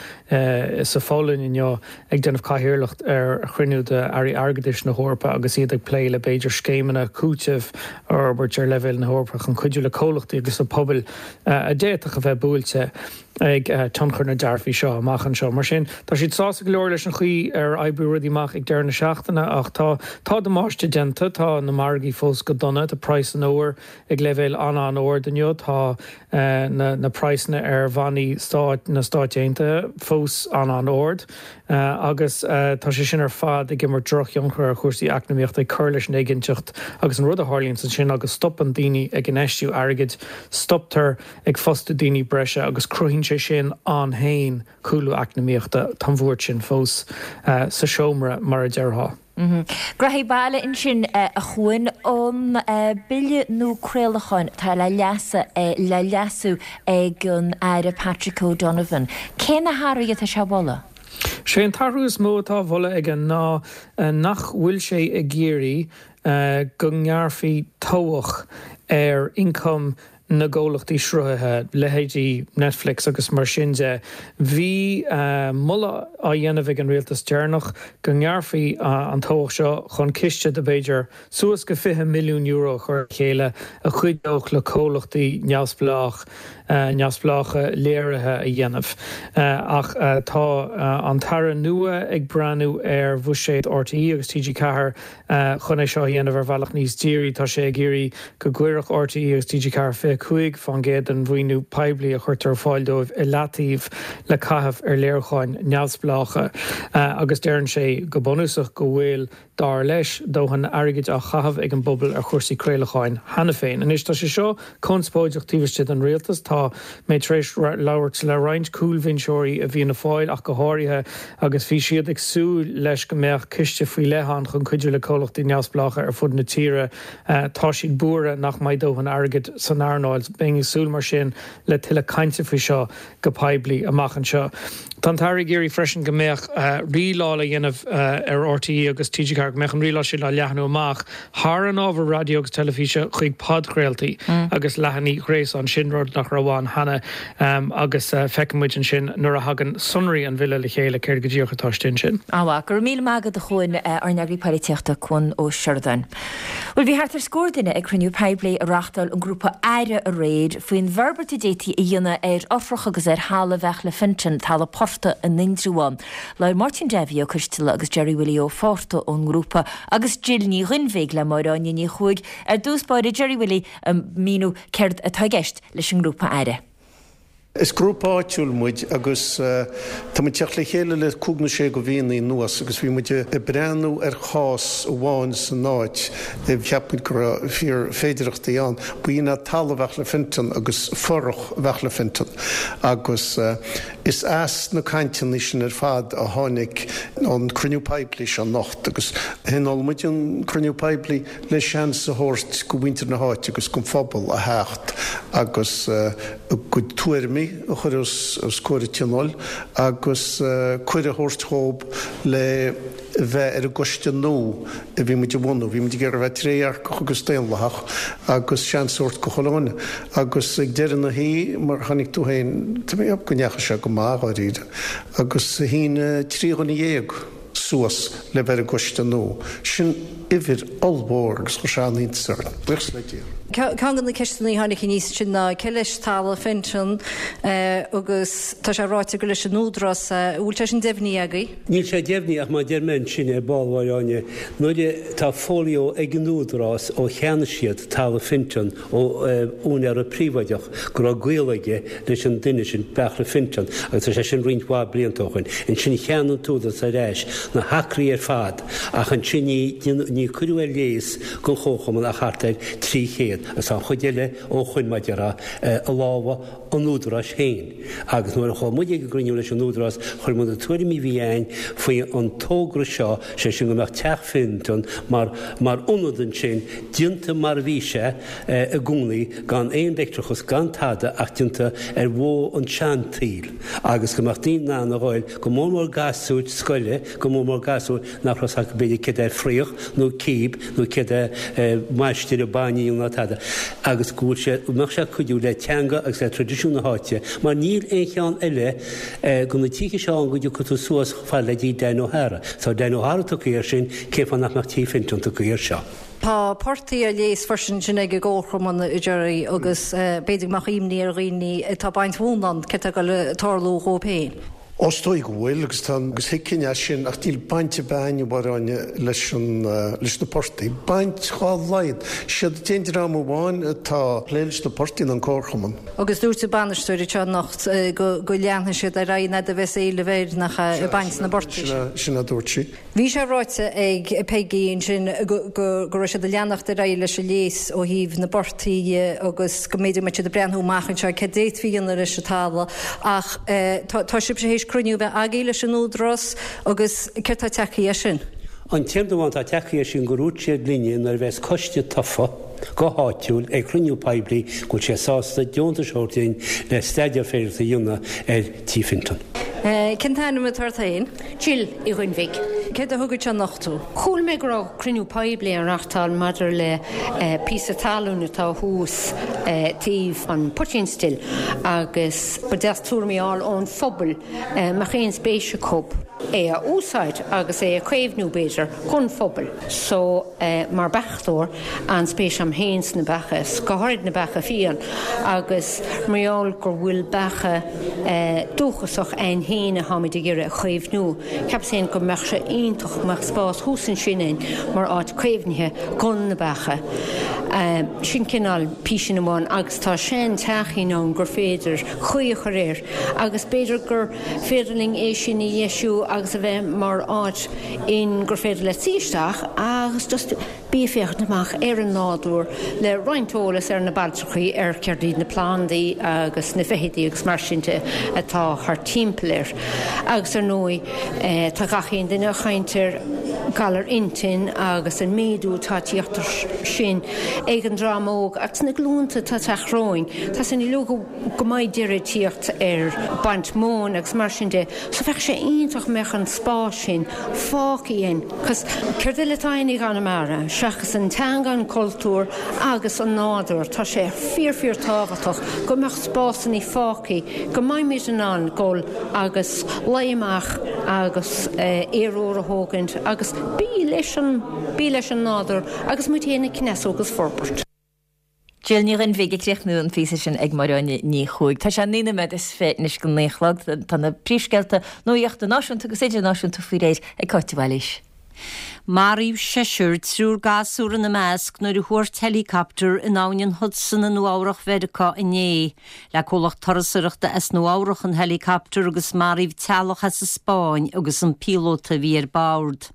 sa Pholainn inniu ag déanamh cathaoirleacht ar chruinniú d'Airí Airgeadais na hEorpa agus iad ag plé le b'fhéidir scéimeanna cúitimh a fhorbairt ar leibhéal na hEorpa chun cuidiú le comhlachtaí agus le pobail a d'fhéadfadh a bheith buailte ag tionchar na dtaraifí seo amach anseo. Mar sin, tá siad sásta go leor leis an chaoi ar oibrigh rudaí amach ag deireadh na seachtaine ach tá tá damáiste déanta, tá na margaí fós go dona, tá praghas an óir ag leibhéal an-an-ard inniu, tá na na praghsanna ar bhannaí stáit na Stáit Aontaithe fós an-an-ard agus tá sé sin ar fad ag imirt drochthionchar ar chúrsaí eacnamaíochta, ag cur leis an éiginnteacht agus an rud a tharlaíonns ansin ná go stopann daoine ag infheistiú airgid, stoptar ag fostú daoine breise agus cruthaíonn sé sin ann féin cúlú eacnamaíochta. Tá an bhuairt sin fós sa seomra, mar a déarfá. Graithí baile ansin a Chuain, an bille nua craolacháin atá le le leasú ag an Aire Patrick O'Donovan. Cé na hathruithe atá sé a mholadh? Sé an t-athrú is mó atá á mholadh aige ná nach bhfuil sé ag iarraidh go ngearrfaí tobhach ar ioncam na gcomhlachtaí sruthaithe, leithéidí Netflix agus mar sin de. Bhí moladh á dhéanamh ag an rialtas deireanach go ngearrfaí an tobhach seo chun ciste de b'fhéidir suas go €20 milliún a chur le chéile a chuideodh le comhlachtaí neamhspleách neamhspleácha léirithe a dhéanamh. Ach tá an tAire nua ag breathnú ar bhuiséad RTÉ agus TG4 Chun é seo a dhéanamh ar bhealach níos dírí, tá sé ag iarraidh go gcuirfeadh RTÉ agus TG4 25% den mhaoiniú poiblí a chuirtear ar fáil dóibh i leataobh le caitheamh ar léiriúcháin neamhspleácha. Agus deireann sé go bunúsach go bhfuil, dar leis, dóthain airgid á chaitheamh ag an bpobal ar chúrsaí craolacháin cheana féin. Anois, tá sé seo conspóideach taobh istigh den rialtas. Tá mé tar éis labhairt le roinnt cúlbhinseoirí i bhFianna Fáil ach go háirithe agus bhí siad ag súil leis go mbeadh ciste faoi leith ann chun cuidiú le comhlachtaí neamhspleácha ar fud na tíre. Tá siad buartha nach mbeidh dóthain airgid san earnáil. Bheinn ag súil mar sin le tuilleadh cainte faoi seo go poiblí amach anseo. Tá an tAire ag iarraidh freisin go mbeadh rialáil á dhéanamh ar RTÉ agus TG4, go mbeadh an rialáil sin á leathnú amach thar an ábhar raidió agus teilifíse chuig podchraoltaí agus leathanaigh ghréasáin, sin rud nach raibh ann cheana agus feicfidh muid ansin nuair a thagann sonraí an bhille le chéile céard go díreach atá istigh ansin. An-mhaith. Go raibh míle maith agat a Chuain, ár n-eagraí poilitíochta, Cuan Ó Seireadáin. Bhuel, bhí thart ar scór duine ag cruinniú poiblí a reáchtáil an grúpa Aire aréir faoin bhforbairt a d'fhéadfaí a dhéanamh ar fhothrach agus ar thalamh Bheartla Fintan, talamh portaigh in Indreabhán. Labhair Máirtín Davy Ó Coisteala agus Gerry Willie Ó Fátharta ón ngrúpa agus Jill Ní Ghuinnbhigh le Máire Áine Ní Chuaig ar dtús báire Gerry Willie ag míniú céard atá i gceist leis an ngrúpa Aire. Is grúpa áitiúil muid agus tá muid ag teacht le chéile le cúig nó sé de mhíonna anuas agus bhí muid ag breathnú ar chás amháin san áit a cheap muid go raibh fíor féidireachtaí ann. B'in é talamh Bheartla Fintan agus fothrach Bheartla Fintan agus is as na cainteanna sin ar fad a tháinig an cruinniú poiblí seo anocht agus thionóil muid an cruinniú poiblí le seans a thabhairt go mhuintir na háite agus don phobal a theacht agus a gcuid tuairimí a chur os comhair an tionóil agus cuireadh a thabhairt dhóibh le bheith ar an gcoiste nua a bhí muid a bhunú. Bhí muid ag iarraidh a bheith trédhearcach agus daonlathach agus seans a thabhairt go chuile dhuine. Agus ag deireadh na hoíche, mar a chonaic tú féin, tá mé ag ceapadh go ndeachaigh sé go maith, dháiríre, agus shínigh 13 dhuine. suas le bheith ar an gcoiste nua. Sin uimhir ollmhór agus chuir sé an-iontas orainn. Buíochas le Dia. Ceann de na ceisteanna a tháinig aníos ansin ná cé leis talamh Fenton agus tá sé ráite gur leis an Údarás é. An bhfuil sé sin deimhnithe agaibh? Níl sé deimhnithe ach mar a deir mé ansin ar ball, a Mháire Áine, nuair a tá folio ag an Údarás ó cheannaigh siad talamh Fenton ó úinéara príobháideach go raibh gaol aige leis an duine sin, Beartla Fintan, agus tá sé sin roinnt mhaith blianta ó shoin. Ansin cheannaigh an t-údarás ar ais na hacraí ar fad ach ansin ní ní cuireadh ar léas don chomharchumann ach thart ar 300 agus tá an chuid eile ó shoin, mar a déarfá, i lámha an údaráis féin. Agus nuair a chuaigh muid ag an gcruinniú leis an údarás chuir muid na tuairimí a bhí a'ainn faoi an togra seo, sé sin go mbeadh teach Fintan mar mar ionad ansin, déanta mar a bhí sé i gcónaí, gan aon leictreachas, gan tada ach déanta ar mhodh an tseantsaoil agus go mbeadh daoine in ann a ghoil, go mór mór gasúir scoile, go mór mór gasúir nach raibh 's acu b'fhéidir céard é fraoch nó cíb nó céard é maistir bainne a dhíol ná tada agus go bhfuil sé, go mbeadh sé ag cuidiú le teanga agus le traidisiún na háite mar níl aon cheann eile de na tithe seo ann go dtiocfaidh tú suas chomh fada le dtí Dan O'Hara. Tá Dan O'Hara tugtha air sin, cén fáth nach mbeadh Tigh Fintan tugtha air seo? Tá portaigh á léas freisin ansin ag an gComharchumann, a Gerry, agus b'fhéidir go mbeadh imní ar dhaoine atá ag baint mhóna ann céard atá ag dul a tarlú dhóibh féin. Ó is dóigh go bhfuil, agus tá, agus thuigfinn é sin, ach níl baint ar bith a'ainn, a Mháire Áine, leis an, leis na portaigh. Baint dhá laghad. Siad an t-aon dream amháin atá ag plé leis na portaigh ná an Comharchumann. Agus dúirt an bainisteoir anseo anocht go, go leanfaidh siad ar aghaidh an fhad a bheas éileamh air, nach ea, ag baint na bportaigh sin. Sin a dúirt sí. Bhí sé ráite ag Peggy ansin go raibh siad ag leanacht ar aghaidh leis an léas ó thaobh na bportaigh dhe agus go mb'fhéidir go mbeadh siad ag breathnú amach anseo céard d'fhéadfaí a dhéanamh leis an talamh ach tá sibhse théis cruinniú a bheith agaibh leis an Údarás agus céard tá tagtha as sin? An t-aon rud amháin atá tagtha é sin gur dhúirt siad linne nuair a bheas coiste tofa go háitiúil ag cruinniú poiblí go bhfuil sé sásta deontais a thabhairt dúinn le staidéar féideartha a dhéanamh ar Tí Fintan. Cén t-ainm atá ort féin? Jill Uí Dhuinnbhigh. Céard a thug anseo anocht thú? Chuala mé go raibh cruinniú poiblí á reachtáil maidir le píosa talún atá thuas taobh an Poitín Stil agus ba deas tuairimí a fháil ón phobal mbeadh aon spéis acu é a úsáid agus é a chaomhnú b'fhéidir don phobal. So mar beachtóir, an-spéis a'm féin sna beacha, is go háirid na beacha fiáin agus mar gheall go bhfuil beacha dúchasach a'inn féin atháimid ag iarraidh a chaomhnú, cheapas féin go mbeadh sé iontach go mbeadh spás thuas ansin a'inn mar áit caomhnaithe gon na beacha. Sin cineál písín amháin agus tá sean teachín ann gur féidir caoi a chur air agus b'fhéidir gur féidir linn é sin a dheisiú agus a bheith mar áit in gur féidir leat suí isteach agus just bí ag féachaint amach ar an nádúr le roinnt eolas ar na bailtreachaí ar céard iad na plandaí agus na feithidí agus mar sin de atá thart timpeall air. Agus ar ndóigh tá gach aon duine ag caint ar galar intinn agus an méadú atá ag tíocht air sin ag an dream óg agus na glúnta atá ag teacht romhainn. Tá a fhios againn uilig go mbeidh deireadh ag tíocht ar baint móin agus mar sin de so bheadh sé iontach mbeadh an spás sin fágtha againn cos céard eile atá againn i gConamara seachas an teanga, an cultúr agus an nádúr. Tá sé fíor fíor tábhachtach go mbeadh spásanna fágtha go mbeimid in ann dul agus luí amach agus aer úr a thógaint agus bí leis an bí leis an nádúr agus muid féin ag cneasú agus forbairt. Jill Ní Dhuinnbhigh ag críochnú an phíosa sin ag Máire Áine Ní Chuaig. Tá sé 19 nóiméad anois go 9 a chlog. Tá na príomhscéalta nuachta náisiúnta agus idirnáisiúnta faoi réir ag Cáit de Bhailís. Maraíodh seisear, triúr gasúr ina measc, nuair a thuairt helicopter in abhainn an Hudson i Nua-Eabhrac Mheiriceá inné. Le comhlacht turasóireachta as Nua-Eabhrac an helicopter agus maraíodh teaghlach as an Spáinn agus an píolóta a bhí ar bord.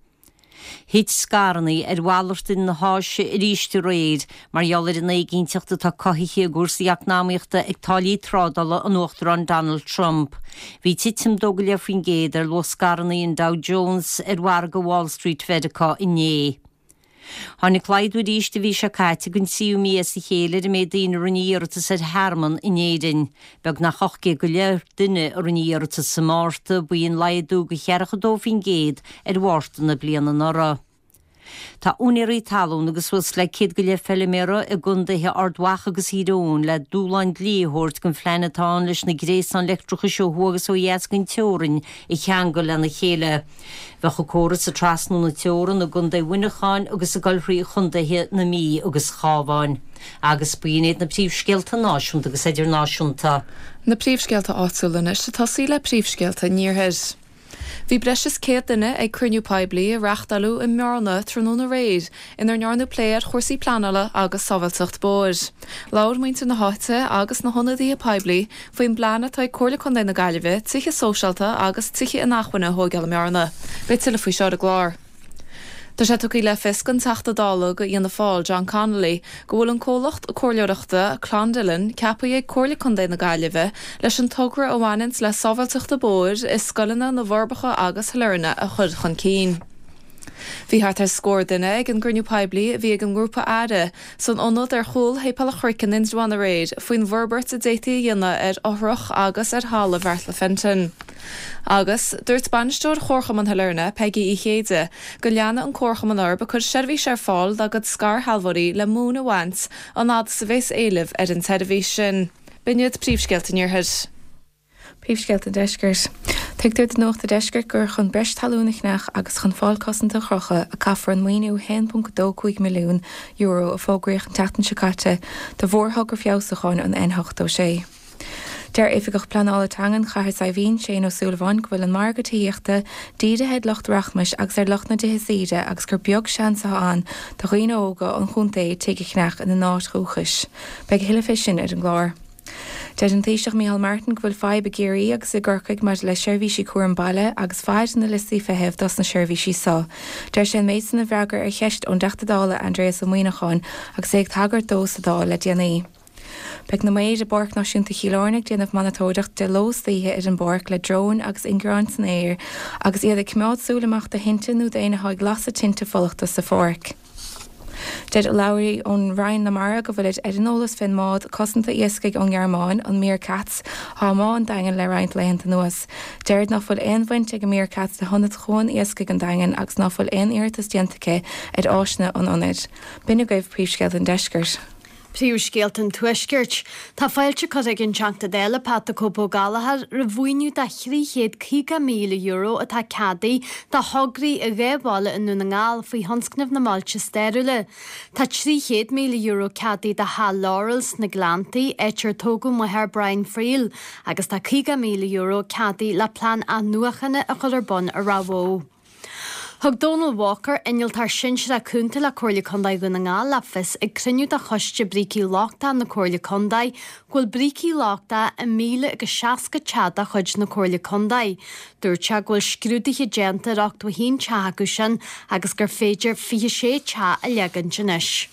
Thit scaireanna ar mhalartaigh na hÁise arís aréir mar gheall ar an éiginnteacht atá cothaithe i gcúrsaí eacnamaíochta ag táillí trádála an Uachtaráin Donald Trump. Bhí titim 2.5% ar luach scaireanna an Dow Jones ar mhargadh Wall Street Mheiriceá inné. Tháinig laghdú arís an mhí seo caite don tríú mí as a chéile ar an méid daoine a rinne iarratas ar thearmann in Éirinn. Beagnach 800 go leith duine a rinne iarratas sa Márta, b'in laghdú de cheathracha 2% ar Mhárta na bliana anuraidh. Tá úinéirí talún agus suas le 100 go leith feiliméara i gcontaetha Ard Mhacha agus Thír Eoghain le dúshlán dlí a thabhairt don phlean atá ann leis na gréasáin leictreachais ó thuaidh agus ó dheas den teorainn a cheangal lena chéile. Bheadh an córas ag trasnú na teorann i gContae Mhuineacháin agus ag dul thrí chontaetha na Mí agus Chábháin. Agus b'in iad na príomhscéalta náisiúnta agus idirnáisiúnta. Na príomhscéalta áitiúla anois ag tosaí le príomhscéalta an iarthair. Bhí breis is 100 duine ag cruinniú poiblí a reáchtáladh i mBearna tráthnóna aréir inar ndearnadh plé ar chúrsaí pleanála agus sábháilteacht bóthair. Labhair muintir na háite agus na hionadaithe poiblí faoin bplean atá ag Comhairle Contae na Gaillimhe tithe sóisialta agus tithe inacmhainne a thóigeáil i mBearna. Beidh tuilleadh faoi seo ar an gclár. Tá sé tugtha le fios don Teachta Dála do Fhianna Fáil, John Connolly, go bhfuil an comhlacht comhairleoireachta Clondalkin ceaptha ag Comhairle Contae na Gaillimhe leis an togra a bhaineanns le sábháilteachta bóthair i scoileanna na bhForbacha agus Shailearna a chur chun cinn. Bhí thart ar scór duine ag an gcruinniú poiblí a bhí ag an ngrúpa Aire san ionad ar chúl Shéipéal an Chnoic in Indreabhán aréir faoin bhforbairt a d'fhéadfaí a dhéanamh ar fhothrach agus ar thalamh Bheartla Fenton. Agus, dúirt bainisteoir Chomharchumann Shailearna, Peigí Uí Chéide, go leanfaidh an Comharchumann orthu ag cur seirbhís ar fáil dá gcuid scairshealbhóirí le móin a bhaint an fhad is a bhéas éileamh ar an tseirbhís sin. B'in iad príomhscéalta an Iarthair. Príomhscéalta an Deiscirt. Tuigtear do Nuacht an Deiscirt gur chun breis talún a cheannach agus chun fál cosanta a chrochadh a caithfear an maoiniú €1.25 milliún a fógraíodh an tseachtain seo caite do mhórthogra feabhsúcháin an N86. Deir Oifigeach Pleanála Teangan Chathair Saidhbhín, Shane Ó Súilleabháin, go bhfuil an margadh tithíochta dírithe ar lucht rachmais agus ar lucht na dtithe saoire agus gur beag seans atá ann do dhaoine óga an chontae tigh a cheannach ina n-áit dhúchais. Beidh a thuilleadh fé sin ar an gclár. Deir an Taoiseach Micheál Martin go bhfuil fadhb i gCiarraí agus i gCorcaigh maidir le seirbhísí cúram baile agus faid na liostaí feithimh dos na seirbhísí so. Deir sé an méid san i bhfreagra ar cheist ón dTeachta Dála Aindrias Ó Muíneacháin agus é ag tagairt dó sa Dáil le déanaí. Beidh na maoir i bPáirc Náisiúnta Chill Airne ag déanamh monatóireacht de ló 's d'oíche ar an bpáirc le dróin agus ingearáin san aer agus iad ag coimeád súil amach do thinte nó d'éinne atá ag lasadh tinte fulachta sa pháirc. Deir urlabhraí ón Roinn na Mara go bhfuilid ar an eolas fén mbád cosanta iascaigh ón nGearmáin, an Meerkatz, atá i mBá an Daingin le roinnt laethanta anuas. Deirid ná fuil aon bhaint ag an Meerkatz le hionad Chuan Iascaigh an Daingin agus ná fuil aon iarratas déanta aici ar áiseanna an ionaid. B'in agaibh príomhscéalta an deiscirt. Príomhscéalta an Tuaiscirt. Tá fáilte curtha ag an Teachta Dála Pat 'The Cope' Ó Gallchóir roimh mhaoiniú de €350,000 atá ceadaithe do thograí i dha bhaile i nDún na nGall faoi thionscnamh na mBailte Stairiúla. Tá €300,000 ceadaithe do Theach Laurel sna Gleanntaí, áit ar tógadh máthair Brian Friel, agus tá €50,000 ceadaithe le plean athnuachana a chur ar bun i Ráth Bhoth. Thug Donal Walker, Innealtóir Sinsearach Cúnta le Comhairle Contae Dhún na nGall le fios ag cruinniú de Choiste Brící Lochtacha na Comhairle Contae go bhfuil brící lochtacha i 1,060 teach de chuid na Comhairle Contae. Dúirt sé go bhfuil scrúduithe déanta ar 81 teach acu sin agus gur féidir 26 teach a leagaint anois.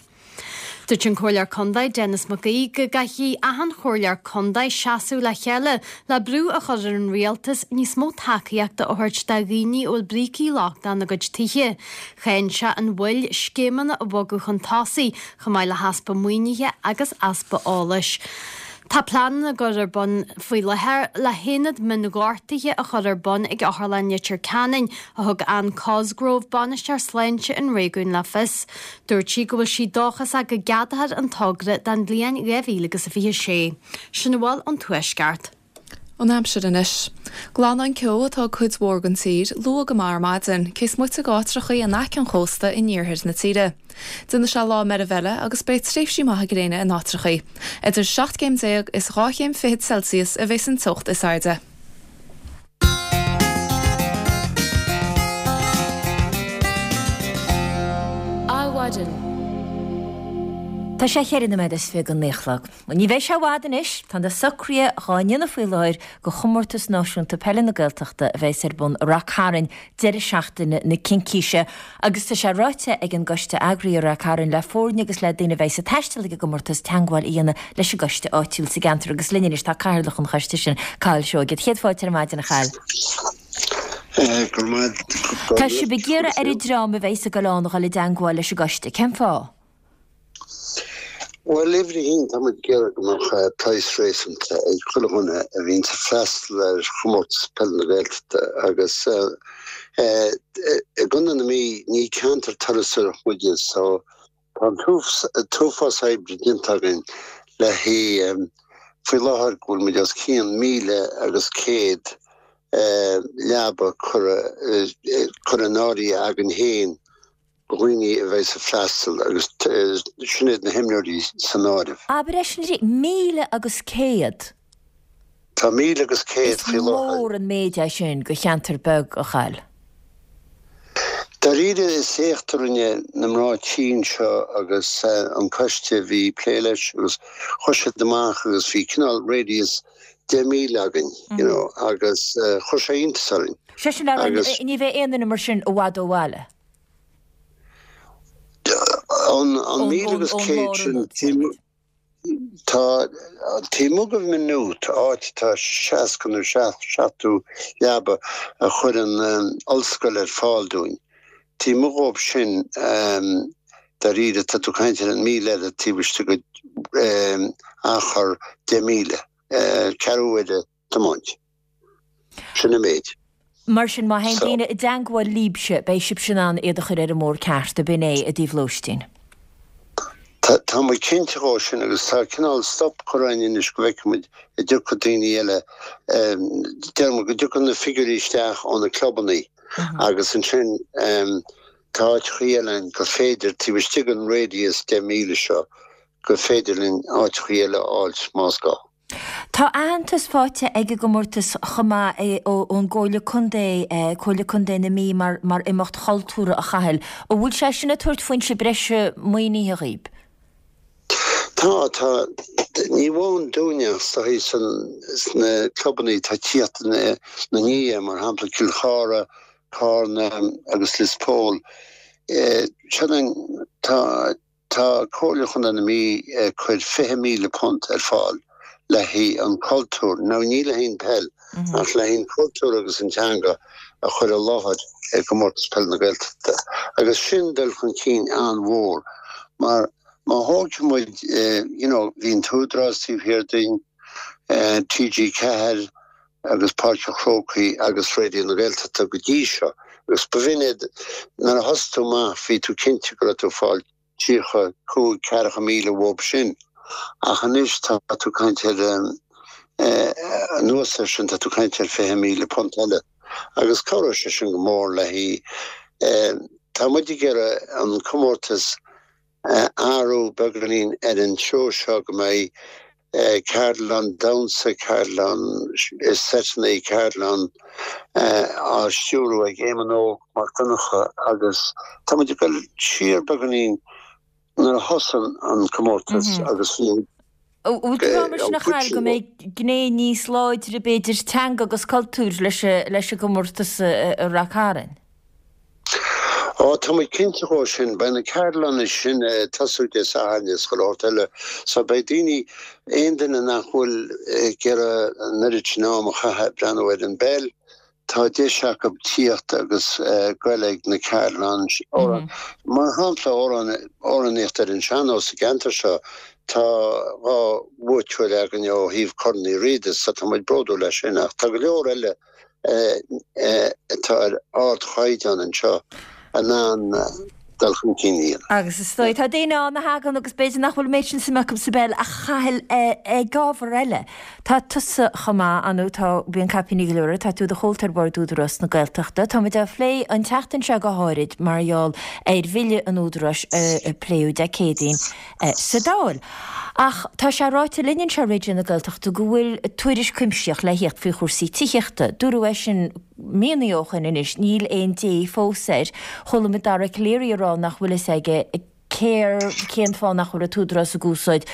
Dúirt an Comhairleoir Contae Denis Mac Aoidh go gcaithfidh achan chomhairleoir contae seasamh le chéile le brú a chur ar an rialtas níos mó tacaíochta a thabhairt do dhaoine a bhfuil brící lochtacha ina gcuid tithe. Cháin sé an mhoill scéimeanna a bhogadh chun tosaigh chomh maith le heaspa maoinithe agus easpa eolais. Tá pleananna á gcur ar bun faoi láthair le haonad mionghortuithe a chur ar bun ag Otharlann Leitir Ceanainn, a thug Anne Cosgrove, Bainisteoir Sláinte an réigiúin le fios. Dúirt sí go bhfuil sí dóchasach go gceadófar an togra don bhliain 2026. Sin a bhfuil ón Tuaisceart. An aimsir anois. Glanadh an ceo atá ag cuid mhór den tír, luath go maith ar maidin, cé is moite d'áitreachaí in aice an chósta in iarthar na tíre. Déanfaidh sé lá meirbh eile agus beidh tréimhsí maithe gréine in áitreachaí. Idir 17 céim is 2 chéim fichead Celsius a bheas an teocht is airde. Adhmhaidin. Tá sé cheithre nóiméad is 29 go naoi a chlog. Ní bheidh sé i bhfad anois, tá na socruithe dhá ndéanamh faoi láthair do Chomórtas Náisiúnta Peile na Gaeltachta a bheas ar bun i Rath Cairn deireadh seachtaine na Cincíse agus tá sé ráite ag an gcoiste eagraithe i Rath Cairn le foirne agus le daoine a bheas ag taisteal ag an gcomórtas teagmháil a dhéanamh leis an gcoiste áitiúil sa gceantar agus linn anois tá cathaoirleach an choiste sin, Cathal Seoige. Céad fáilte ar maidin, a Chathail. Go raibh maith agat. Tá sibh ag iarraidh ar an dream a bheas ag dul ann a dhul i dteangmháil leis an gcoiste. Cén fáth? Bhuel, uimhir a haon, tá muid ag iarraidh go mbeadh praghas réasúnta ag chuile dhuine a bhíonns ag freastal ar chomórtas peile na Gaeltachta agus i gContae na Mí ní ceantar turasóireachta muide so Tá an t-uafás oibre déanta againn le haghaidh, faoi láthair go bhfuil muid os cionn 1,100 leaba curtha in áirithe againn féin do dhaoine a bheas ag freastal agus sin iad na himreoirí san áireamh. Abair é sin arís, 1,100? Tá 1,100 faoi láthair. Is mór an méid é sin do cheantar beag, a Chathail. Dáiríre is éacht a rinne na mná tí anseo agus an coiste a bhí ag plé leis agus chuir siad amach agus bhí cineál radius 10 míle againn you know agus chuir sé iontas orainn. Sé sin le rá ní bheidh aon duine mar sin i bhfad ó bhaile. An 1,100 sin Tá taobh amuigh de Maynooth, áit atá 60 nó 70 leaba a chuir an ollscoil ar fáil dúinn, taobh amuigh dhóibh sin, dáiríre, tá tú ag caint ar an 1,000 eile taobh istigh de achar 10 míle, ceathrú uaire tiomáint. Sin an méid. Mar sin, má théann daoine i dteangmháil libhse, beidh sibhse in ann iad a chur ar an mbóthar ceart, ab in é, i dtaobh lóistín? Tá muid cinnte dhó sin agus tá cineál stop curtha againn anois go bhfeicfidh muid an dtiocfaidh daoine eile, deir muid go dtiocfaidh na figiúirí isteach ó na clubannaí agus ansin tá áiteachaí eile ann gur féidir, taobh istigh den radius 10 míle seo, gur féidir linn áiteachaí eile a fháilt más gá. Tá aitheantas faighte ag an gcomórtas chomh maith ón gComhairle Contae, Comhairle Contae na Mí mar mar imeacht chultúrtha a Chathail. An bhfuil sé sin ag tabhairt foinse breise maoinithe dhaoib? Tá, tá. Ní amháin dúinne ach is dóigh sna clubannaí atá ag tíocht ina ndiaidh, mar shampla Cill Chartha, Carna agus Lios Póil. Tá. Tá Comhairle Chontae na Mí ag cur £20,000 ar fáil le haghaidh an cultúr, now ní le haghaidh an peil, ach le haghaidh an cultúr agus an teanga a chur i láthair i gComórtas Peile na Gaeltachta. Agus sin dul chun cinn an-mhór mar má thógfaidh muid, you know, bhí an tÚdarás taobh thiar dínn, TG4 agus Páirc an Chrócaigh agus Raidió na Gaeltachta go dtí seo agus b'in iad, nuair a thosaigh tú amach bhí tú cinnte go raibh tú ag fáil 35, 40,000 uathu sin ach anois tá tú ag caint ar, anuas air sin, tá tú ag caint ar £20,000 eile agus cabhróidh sé sin go mór le haghaidh, tá muid ag iarraidh an comórtas a athrú beagáinín ar an treo seo go mbeidh ceardlann damhsa, ceardlann seiteanna, ceardlann á stiúrú ag Éamonn Óg Mac Donncha agus tá muid ag dul siar beagáinín nuair a thosaigh an comórtas agus bhí An bhfuil tú ag rá mar sin a Chathail go mbeidh gné níos láidre b'fhéidir teanga agus cultúir leis an gcomórtas a rachaidh tharainn? Ó, tá muid cinnte dhó sin. Beidh na ceardlanna sin ag tosú Dé Sathairn is chuile shórt eile. So beidh daoine, aon duine nach bhfuil ag iarraidh an oiread sin am a chaitheamh ag breathnú ar an bpeil, tá deis acu tíocht agus goil ag na ceardlanna. Mar shampla, amhránaíocht ar an sean-nós sa gceantar seo, tá 2 bhuaiteoir againn ó thaobh Corn Uí Riada so tá muid bródúil as sin ach tá go leor eile atá ar ardchaighdeán anseo in ann dul chun cinn a dhéanamh. Agus is dóigh, tá daoine ann a thagann agus b'fhéidir nach bhfuil an méid sin suime acu sa bpeil ach a Chathail ag ábhar eile. Tá tusa chomh maith, ar ndóigh, tá, bíonn caipíní go leor ort, tá tú i do chomhalta ar Bhord Údarás na Gaeltachta. Tá muid á phlé an tseachtain seo go háirid mar gheall ar bhille an Údaráis a pléadh Dé Céadaoin sa Dáil. Ach tá sé ráite linn anseo i Raidió na Gaeltachta go bhfuil tuairisc cuimsitheach le thíocht faoi chúrsaí tithíochta. Dúradh é sin míonna ó shoin anois, níl aon dé fós air. Chuala muid Dara Calleary ag rá nach bhfuil fhios aige cér, cén fáth nach bhfuil an tÚdarás ag úsáid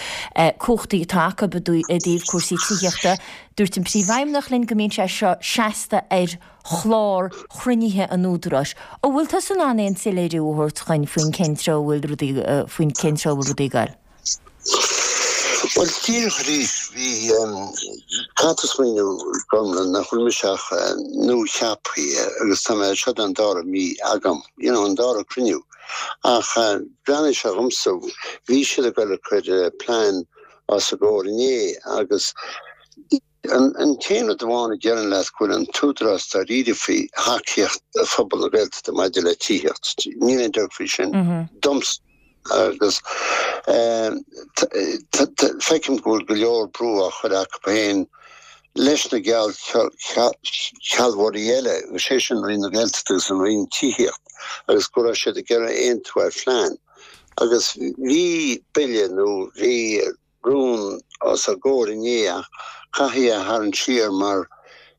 cumhachtaí atá acu i dtaobh cúrsaí tithíochta. Dúirt an Príomhfheidhmeannach linn go mbíonn sé seo seasta ar chlár chruinnithe an Údaráis. An bhfuil tusa in ann aon soiléiriú a thabhairt dhuinn faoin cén treo a bhfuil rudaí, faoin cén treo a bhfuil rudaí ag goil? Bhuel, díreach arís, bhí, caithfidh tú smaoineamh, Gormlaith, nach bhfuil mise ach nua-cheaptha agus tá mé, seo an dara mí agam, you know, an dara cruinniú. Ach breathnaigh sé dhomsa, bhí siad ag goil ag cur plean os a gcomhair inné agus, An t-aon rud amháin a déarfainn leat go bhfuil an tÚdarás dáiríre faoi thacaíocht phobal na Gaeltachta maidir le tithíocht. Níl aon dabht faoi sin domsa agus feicim go bhfuil go leor brú á chur acu féin leis na geallsealbhóirí eile, agus sé sin Roinn na Gaeltachta agus an Roinn Tithíocht agus go raibh siad ag iarraidh aontú ar phlean. Agus bhí bille nó bhí rún os a gcomhair inné ach caitheadh é a tharraingt siar mar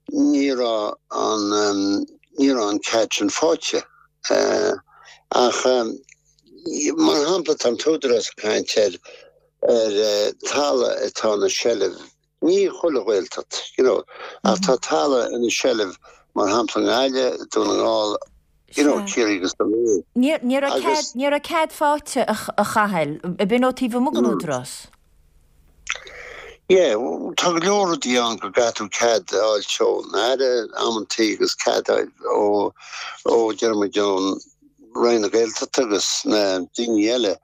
ní raibh an ní raibh an cead sin faighte. Ach mar shampla tá an tÚdarás ag caint ar ar talamh atá ina seilbh, ní chuile Ghaeltacht you know, ach tá talamh ina seilbh mar shampla i nGaillimh, Dún na nGall, you know, Ciarraí agus Dún Ní ní raibh cead ní raibh cead faighte a Chathail, ab in ó taobh amuigh den Údarás. Yeah, tá go leor rudaí ann go gcaithfidh tú cead a fháilt ón Aire amantaí agus cead a fháil ó ó deir muid ón Roinn na Gaeltachta agus na daoine eile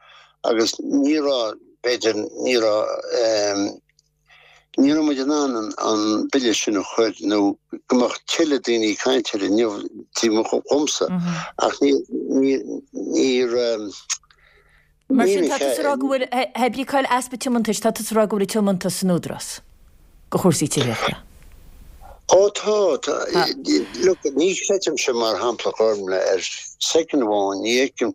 agus ní raibh b'fhéidir ní raibh Ní raibh muid in ann an bille sin a chur nó go mbeadh tuilleadh daoine ag caint air inniu taobh amuigh dhomsa ach ní raibh Mar sin tá tusa ag rá go bhfuil, hé brí cá'il easpa tiomantais, tá tusa ag rá go bhfuil tiomantas san Údarás do chúrsaí tithíochta. Ó tá, tá. Look, ní chreidimse mar shampla Gormlaith ar soicind amháin, ní fheicim,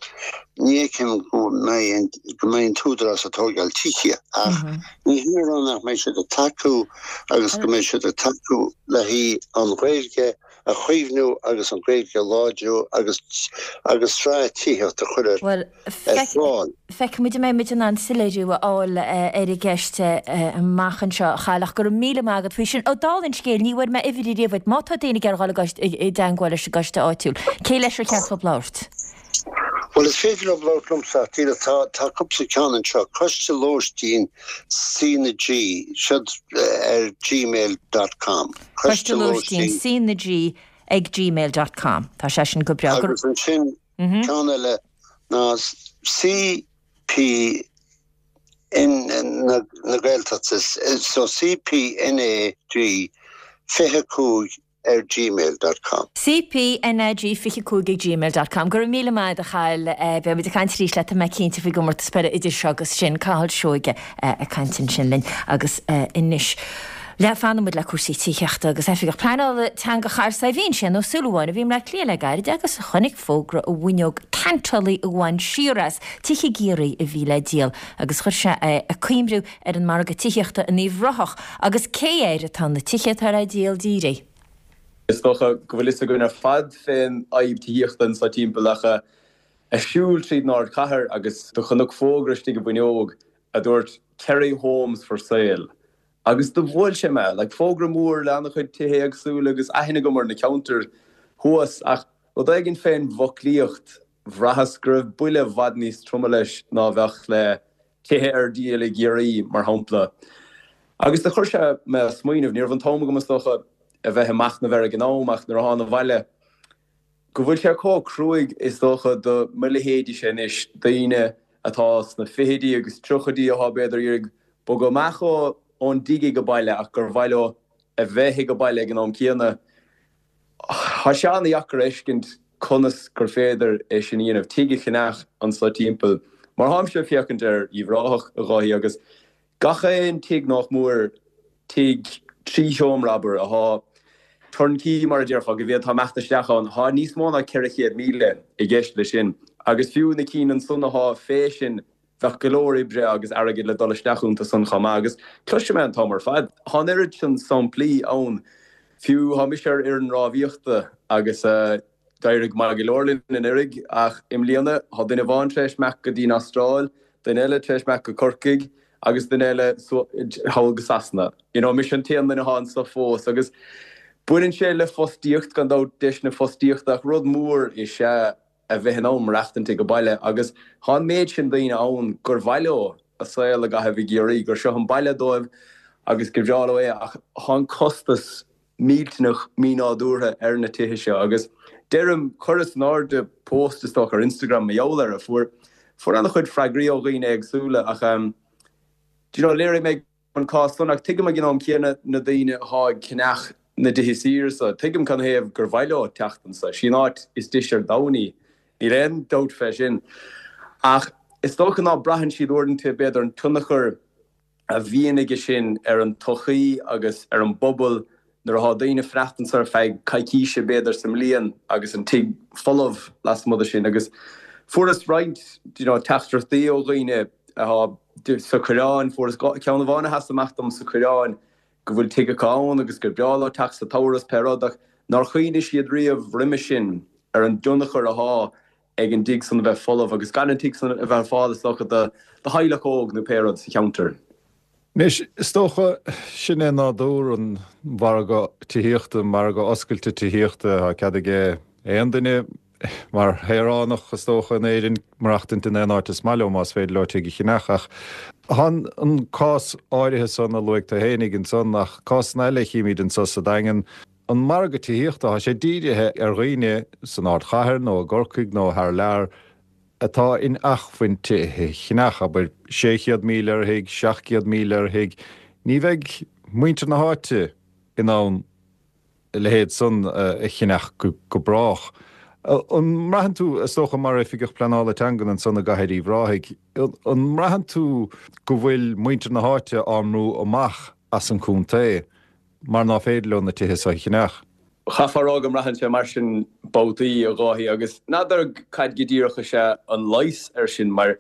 ní fheicim go mbeidh an, go mbeidh an tÚdarás ag tóigeáil tithe ach ní hin a rá nach mbeidh siad ag tacú agus go mbeidh siad ag tacú le haghaidh an Ghaeilge a chaomhnú agus an Ghaeilge a láidriú agus agus sraith tithíocht a chur ar Bhuel, fáil. Feicfidh muid an mbeidh muid in ann soiléiriú a fháil ar an gceist amach anseo, a Chathail, ach go raibh míle maith agat faoi sin. Ó, dála an scéil, ní bhfuair mé uimhir ariamh uait. Má tá daoine ag iarraidh dul i dteangmháil leis an gcoiste áitiúil, cé leis ar cheart dóibh labhairt? Bhuel, is féidir leo labhairt liomsa ach díreach tá, tá cúpla ceann anseo, Coiste Lóistín C na G, siod ar gmail dot com. Coiste Lóistín C na G ag gmail dot com. Tá sé sin go breá. Agus ansin ceann eile ná CP N na Gaeltachta, so CPNAG 25 ar gmail dot com. CPNAG 25 ag gmail dot com Go raibh míle maith agat a Chathail. Beidh muid ag caint arís leat tá mé cinnte faoin gcomórtas peile idir seo agus sin. Cathal Seoige ag caint ansin linn agus anois le fanfaidh muid le cúrsaí tithíochta agus Oifigeach Pleanála Teanga Chathair Saidhbhín, Séan Ó Súilleabháin, a bhí i mBleá Cliath le gairid agus a chonaic fógra i bhfuinneog ceantálaí a bhain siar as tigh i gCiarraí a bhí le díol agus chuir sé é ag cuimhniú ar an margadh tithíochta in Uíbh Ráthach agus cé air atá na tithe atá le díol dírithe. Is dócha go bhfuil fhios againn ar fad fén fhadhb tithíochta anso timpeall ach ag siúl tríd an ardchathair agus do chonac fógra istigh i bhfuinneog a dúirt Kerry Homes for Sale agus do bhuail sé mé, like fógra mór le an-chuid tithe éagsúla agus aithne agam ar na ceantair thuas ach rud éigin fén bhfoclaíocht, bhraitheas go raibh buille i bhfad níos troma leis ná a bheadh le tithe ar díol i gCiarraí, mar shampla. Agus do chuir sé mé ag smaoineamh, ní raibh an t-am agam is dócha a bheith ag machnamh air ag an am ach nuair a thána abhaile, go bhfuil sé chomh cruaidh is dócha do mo leithéidíse anois, daoine atá sna fichidí agus tríochaidí athá b'fhéidir ag iarraidh bogadh amach ón dtigh ag an baile ach gur mhaith leo a bheith ag an baile ag an am céanna. Tá sé an-dheacair a fheiscint conas gur féidir é sin a dhéanamh, tigh a cheannach anso timpeall. Mar tháimse ag féachaint ar Uíbh Ráthach, a Dháithí, agus gach aon tigh nách mór, tigh trí sheomra, abair, athá turnkey mar a déarfá, go bhféadfá imeacht isteach ann, thá níos mó ná 400,000 i gceist leis sin. Agus fiú na cinn ansan athá fé sin, Bheadh go leor oibre agus airgid le dul isteach iontu san chomh maith agus cloisim é an t-am ar fad. Thá an oiread sin samplaí ann. Fiú thá mise ar fhoireann rámhaíochta agus d'éirigh maith go leor linn anuraidh ach i mbliana thá duine amháin tar éis imeacht go dtí an Astráil, duine eile tar éis imeacht go Corcaigh agus duine eile thall go Sasana. You know, mise an t-aon duine athá anso fós agus baineann sé le fostaíocht gan dabht, deiseanna fostaíochta ach rud mór is ea a bheith in ann maireachtaint ag an baile agus thá an méid sin daoine ann gur mhaith leo a saol a gcaitheamh i gCiarraí, gur seo an baile dóibh agus gur bhreá leo é ach thá an costas millteanach mínádúrtha ar na tithe seo agus deirim, chuireas in airde post is dócha ar Instagram mar gheall air a fuair fuair an-chuid freagraí ó dhaoine éagsúla ach do you know léirigh mé an cás san, ach tuigim ag an am céanna na daoine athá ag ceannach na dtithe saoire so. Tuigim canathaobh gur mhaith leo teacht anso. Sí an áit is deise ar domhan í, níl aon dabht fé sin. Ach is dócha ná braitheann siad uaireanta, b'fhéidir, an tionchar a bhíonn aige sin ar an tsochaí agus ar an bpobal nuair athá daoine ag fanacht anso ar feadh coicíse, b'fhéidir, sa mbliain agus an tigh folamh lasmuigh de sin. Agus fuaireas roinnt, you know, teachtaireachtaí ó dhaoine athá sa Choireán, fuaireas ceann amháin a sheas amach dom sa Choireán, go bhfuil tigh acu ann agus gur breá leo teacht sa tsamhradh is pé rud ach nár chuimhnigh siad riamh roimhe sin ar an dtionchar athá ag an dtigh san a bheith folamh agus gan an tigh san a bheith ar fáil is dócha do theaghlach óg nó pé rud sa cheantar. Anois, is dócha, sin é nádúr an mhargaidh tithíochta, margadh oscailte tithíochta, tá cead ag aon duine mar shaoránach, is dócha, in Éirinn, maireachtaint in aon áit is maith leo más féidir leo tigh a cheannach. Ach tá an cás áirithe san a luaigh tú fhéinig ansan, ach cásanna eile a chímid anso sa Daingean, an margadh tithíochta, tá sé dírithe ar dhaoine san ardchathair nó i gCorcaigh nó thar lear, atá in acmhainn tithe a cheannach, abair 600,000 ar thigh, 700,000 ar thigh, ní bheidh muintir na háite in ann a leithéid san a cheannach go brách. An mbraitheann tú, is dócha mar Oifigeach Pleanála Teangan ansan i gCathair Uíbh Ráthaigh, an mbraitheann tú go bhfuil muintir na háite á mbrú amach as an chontae? mar ná féidir leo na tithe seo a cheannach. Chaithfeá a rá go mbraitheann sé mar sin babhtaí, a Dháithí, agus n'fheadar cad go díreach is ea an leigheas air sin, mar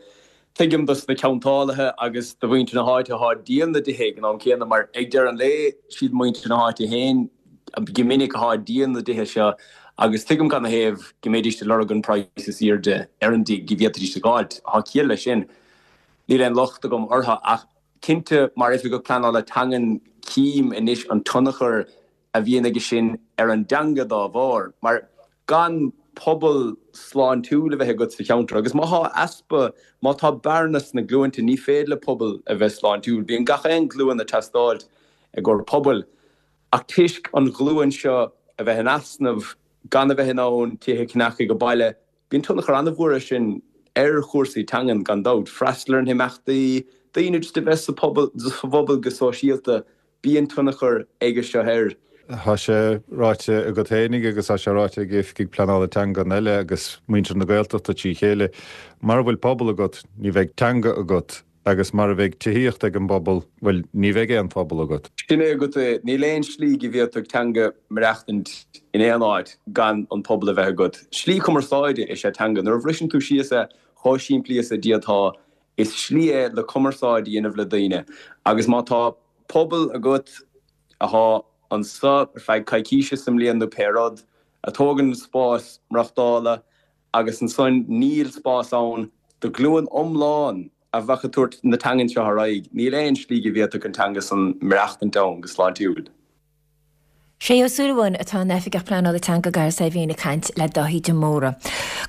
tuigim dos na ceantálaithe agus do mhuintir na háite athá ag díol na dtithe ag an am céanna, mar ag deireadh an lae, siad muintir na háite féin go minic athá ag díol na dtithe seo agus tuigim canathaobh go mbeidís ag lorg an praghas is aoirde ar an dtigh go bhféadfaidís a dh'fháilt. Thá ciall leis sin. Níl aon locht agam orthu ach Cinnte, mar Oifigeach Pleanála Teangan cím anois an tionchar a bhíonn aige sin ar an dteanga dá bharr, mar gan. pobal sláintiúil a bheith agat sa cheantar agus má thá easpa, má tá bearna sna glúinte, ní féidir le pobal a bheith sláintiúil. Bíonn gach aon ghlúin ag teastáilt i gcomhair pobail ach toisc an ghlúin seo a bheith in easnamh, gan a bheith in ann tithe a cheannach ag an baile, bíonn tionchar an-mhór air sin ar chúrsaí teangan gan dabht. Freastal ar na himeachtaí, daoine just a bheith sa phobal, sa phobal go sóisialta, Bíonn tionchar aige seo air. Tá sé ráite agat fhéinig agus tá sé ráite ag oifigigh pleanála teangan eile agus muintir na Gaeltachta trí chéile, mara bhfuil pobal agat, ní bheidh teanga agat agus mara bheidh tithíocht ag an bpobal, bhuel, ní bheidh aon phobal agat. Sin é agat é. Níl aon slí go bhféadfadh teanga maireachtaint in aon áit gan an pobal a bheith agat. Slí cumarsáide is ea teanga. Nuair a bhriseann tú síos é chomh simplí is a d'fhéadfá, is slí é le cumarsáid a dhéanamh le daoine agus má tá pobal agat athá anso ar feadh coicíse sa mbliain nó pé rud, a tógann an spás maireachtála agus ansan níl spás ann do ghlúin iomlán a bheadh ag tabhairt na teangan seo ar aghaidh, níl aon slí go bhféadfadh an teanga san maireachtaint ann go sláintiúil. Sé Ó Súilleabháin atá ina Oifigeach Pleanála Teanga Gareth Saidhbhín ag caint le Dáithí de Mórdha.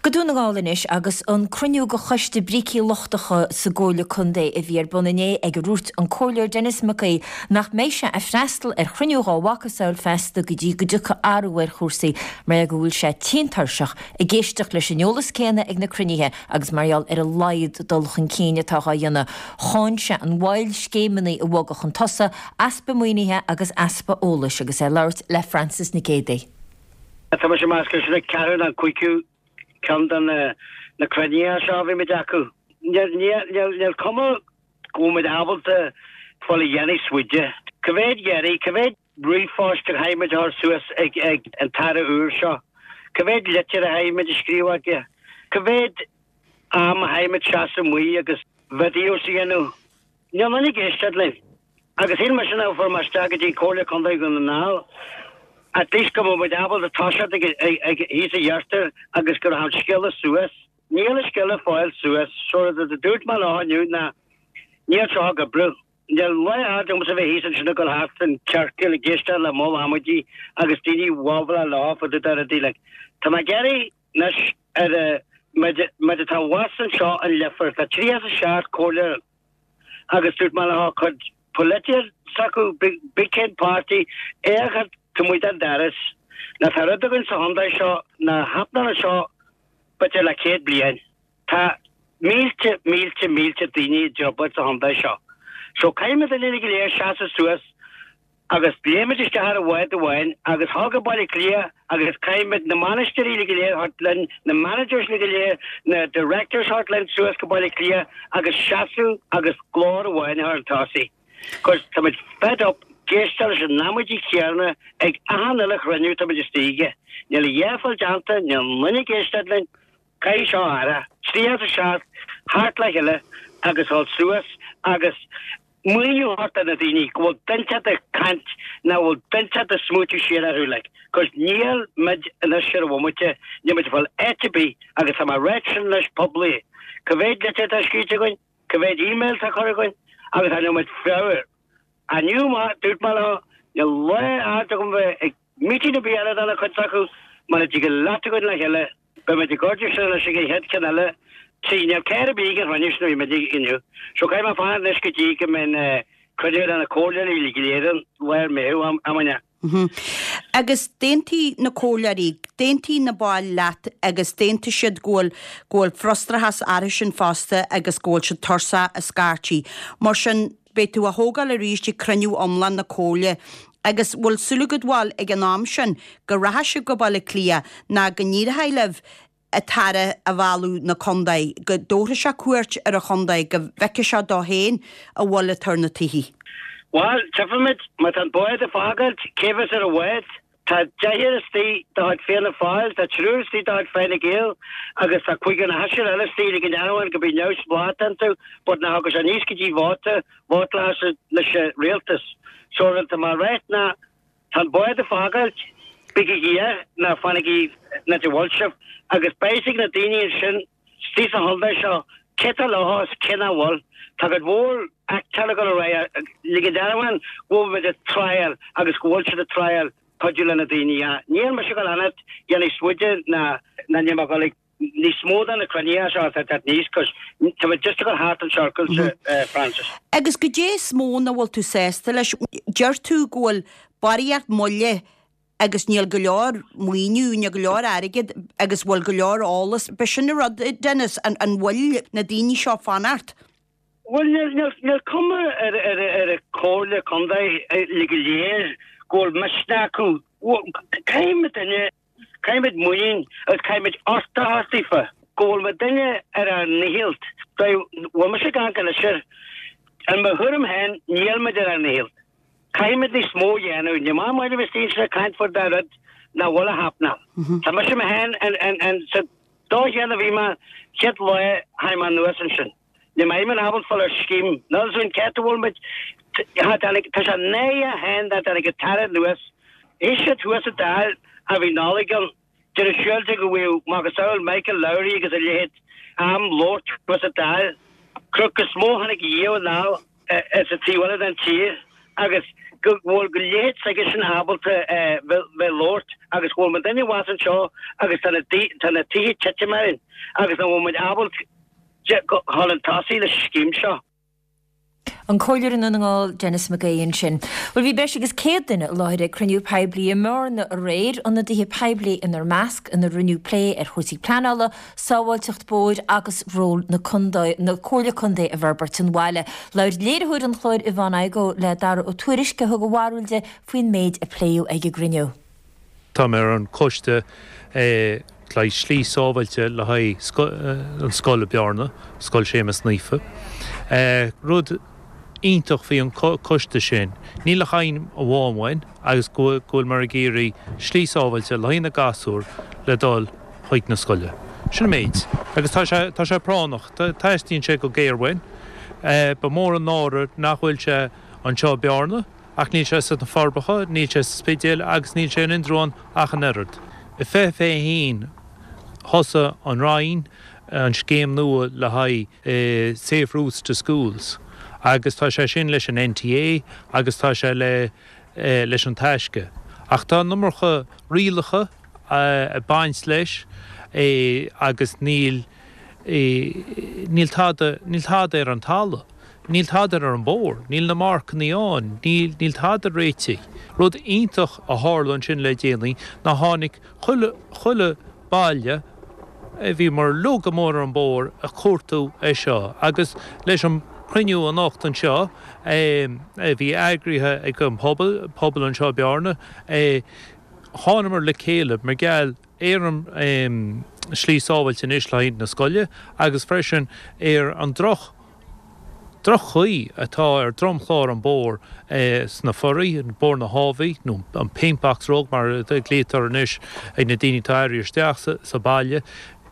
Go Dún na nGall anois agus an cruinniú de choiste brící lochtacha sa gComhairle Contae a bhí ar bun inné ag a ndúirt an Comhairleoir Denis Mac Aoidh nach mbeidh sé ag freastal ar chruinniú dhá mhacasamhail feasta go dtí go dtiocfaidh athrú ar chúrsaí mar go bhfuil sé tinn tuirseach ag éisteacht leis an eolas céanna ag na cruinnithe agus mar gheall ar a laghad dul chun cinn atá dhá dhéanamh. Cháin sé an mhoill scéimeanna a bhogadh chun tosaigh easpa maoinithe agus easpa eolais agus é ag labhairt le Frances Nic Géadaigh. Tá mise ag meas gur sin an ceathrú nó an cúigiú ceann de na cruinnithe seo a bhí muid acu. Níl cuma go bhfuil muid ábalta fáil a dhéanamh smuide. Cá mhéad iarraidh, cá mhéad ríomhphost a chaithfidh muid a chur suas ag an tAire úr seo? Cá mhéad litir a chaithfidh muid a scríobh aige? Cá mhéad am a chaithfidh muid seasamh amuigh agus videos a dhéanamh? Níl aon duine ag éisteacht linn. Agus shíl mise nuair a fuair mé isteach go dtí Comhairle Contae Dhún na nGall, at least go mbeadh muid ábalta toiseacht ag thíos a dheirtear agus go raibh an scéala suas. Níl an scéala ag fáil suas. So rud a dúirt mé leo inniu ná níl seo ag oibriú. Níl lá aird agamsa bheith thíos ansin ag dul thart an ciorcal ag éisteacht le moll amaidí agus daoine ag babhláil leo fá dtaobh de rudaí like. Tá mé ag iarraidh anois ar muid muid atá abhus anseo an Leifear, tá 37 comhairleoir agus dúirt mé leo cuid polaitíocht s'acu, big cén páirtí, é a chur taobh amuigh den doras. Ná tá rud againn sa chontae seo nár happenáil anseo b'fhéidir le 100 bliain. Tá mílte, mílte, mílte daoine i dtrioblóid sa chontae seo. So caithfidh muid uilig go léir seasamh suas agus léimid isteach ar an bhád amháin agus dhul go Baile Átha Cliath agus caithfimid na bainisteoirí uilig go léir a thabhairt linn, na managers uilig go léir, na directors a thabhairt linn suas go Baile Átha Cliath agus seasamh agus glór amháin a chur chun tosaigh. Cos táimid fed up ag éisteacht leis an amaidí céanna ag achan uile chruinniú táimid istigh aige. Níl a dhath ag fáil déanta, níl aon duine ag éisteacht linn. Caithfidh seo athrú, 37 theacht le chéile agus dhul suas agus maoiniú a thabhairt do na daoine go bhfuil duine inteacht ag caint nach bhfuil duine inteacht ag smaoitiú siar orthu like cos níl muid anois ar an bhomaite níl muid ag fáil áit ar bith agus tá mé ag ráit sin anois poiblí cá mhéad litir atá scríte againn cá mhéad email atá curtha againn agus tá níl muid fabhar Inniu má dúirt mé leo níl lá aird agam bheith ag meeting ar bith eile dá chuid s'acu mura dtig leat againn le chéile Beidh muid ag ordú sin anois ag an chéad cheann eile. Sea, níl céir ar bith ag an chruinniú sin a bhí muid ag inniu. So caithfidh mé fanacht anois go dtí go mbeidh cruinniú de na comhairleoirí uilig go léir ann lár Meitheamh, amanna. Agus d'aontaigh na comhairleoirí, d'aontaigh na baill leat agus d'aontaigh siad go bhfuil, go bhfuil frustrachas orthu sin fosta agus go bhfuil siad tuirseach a scaití. Mar sin, beidh tú á thógáil arís ag cruinniú iomlán na comhairle agus bhfuil súil agat bhuel ag an am sin go rachaidh sibh go Baile Átha Cliath ná go n-éireoidh libh an tAire a mhealladh 'na contae, go dtabharfaidh sé cuairt ar an chontae, go bhfeicfidh sé dó féin a mhoill atá ar na tithe. Bhuel, tchífimid, má tá an bád ag fágáilt, cé bheas ar an bhád? Tá deichniúr istigh de chuid Fianna Fáil, tá triúr istigh de chuid Fine Gael agus tá cúigear nó seisear eile istigh le go ndearmhain go bíonn neamhspleách iontu but nach dtiocfaidh sé aníos go dtí vóta, vótáil leis an rialtas. So rud atá mé a ráit ná tá an bád ag fágáilt, bígí air ná fanaigí an áit a bhfuil sibh agus beidh a fhios ag na daoine ansin istigh sa chontae seo cé tá leo is cé nach bhfuil. Tá cuid mhór acteáil ag dul ar aghaidh, le go ndearmhain go bhfuil muid ag triail agus go bhfuil siad ag triail. Cuidiú le na daoine ach níl mise ag dul fanacht dhéanamh smuide ná ná níl mé ag dul ag níos mó de na cruinnithe seo atá ag teacht aníos cos tá muid just ag dul thart in circles Francis. Agus goidé is mó nach bhfuil tú sásta leis? Deir tú go bhfuil barraíocht moille agus níl go leor maoiniú, níl go leor airgead agus bhfuil go leor eolas. B'shin an rud, Dennis, an bhfuil na daoine seo fanacht? Bhuel, níl cuma ar an Chomhairle Contae uilig go léir go bhfuil misneach acu. Caithfidh muid duine, caithfidh muid muinín agus caithfidh muid uchtach a thabhairt daofa go bhfuil muid duine ar ár ndícheall. Bhfuil mise ag amharc anois air, in mo thuairim féin, níl muid ar ár ndícheall. Caithfidh muid níos mó a dhéanamh. Ní maith muid a bheith istigh anseo ag caint faoi dá rud nach bhfuil a happening. Tá mise mé féin sa dóigh chéanna a bhí mé chéad lá tháinig mé anuas ansin. Ní mbeidh mé ábalta fáil ar scéim. Níl fhios againn cé a bhfuil muid. Tá sé náireach féin dá dtáinig an tAire anuas. Bhí siad thuas sa Dáil a bhí Nollaig ann. Déanamh siúilte go bhfuil macasamhail Michael Lowry agus a leithéid am labhairt thuas sa Dáil. Cruth is mó tháinig dhíobh anall sa taobh eile den tír agus go bhfuil go leithéid s'aige sin ábalta bheith labhairt agus go bhfuil muid duine abhus anseo agus tá na tá na tithe titim orainn agus nach bhfuil muid ábalta dhul chun tosaigh leis an scéim seo. An Comhairleoir i nDún na nGall, Denis McGee ansin. Bhuel bhí breis agus 100 duine i láthair ag cruinniú poiblí i mBearna aréir, ionadaithe poiblí inar measc, ina rinneadh plé ar chúrsaí pleanála, sábháilteacht bóthair agus ról na contae, na Comhairle Contae i bhforbairt an bhaile. Labhair léiritheoir an chláir Yvonne Igoe le Dara Ó Tuairisg a thug a bharúil di faoin méid a pléadh ag an gcruinniú. Tá mé ar an choiste le haghaidh slí sábhailte le haghaidh an scoil i Bearna, Scoil Séamus Naofa. Rud iontach faoi an coiste sin, níl ach aidhm amháin uainn agus go bhfuil muid ag iarraidh slí sábhailte le haghaidh na gasúr le dul chuig na scoile. Sin an méid. Agus tá sé, tá sé práinneach. Teastaíonn sé go géar uainn. Ba mhór an náire nach bhfuil sé anseo i Bearna. Ach níl sé sna Forbacha, níl sé sa Spidéal agus níl sé in Indreabhán ach an oiread. I 2021 thosaigh an Roinn an scéim nua le haghaidh Safe Routes to Schools agus tá sé sin leis an NTA agus tá sé le leis an Taisce. Ach tá an iomarca rialacha ag baint leis agus níl níl tada níl tada ar an talamh. Níl tada ar an bóthar, níl na marcannaí ann, níl, níl tada réitithe. Rud iontach a tharla ansin le déanaí ná tháinig chuile, chuile baile a bhí mar lug amuigh ar an bóthar ag cuartú é seo agus leis an chruinniú anocht anseo a bhí eagraithe ag an pobal, pobal anseo i Bearna, thánamar le chéile mar gheall ar an slí sábhailte anois le haghaidh na scoile agus freisin ar an droch droch-chaoi atá ar dromchlár an bóthar sna Foraí, Bóthar na hÁbhaí, nó an Paintbox Road mar a ghlaotar anois ag na daoine atá ag éirí isteach sa baile,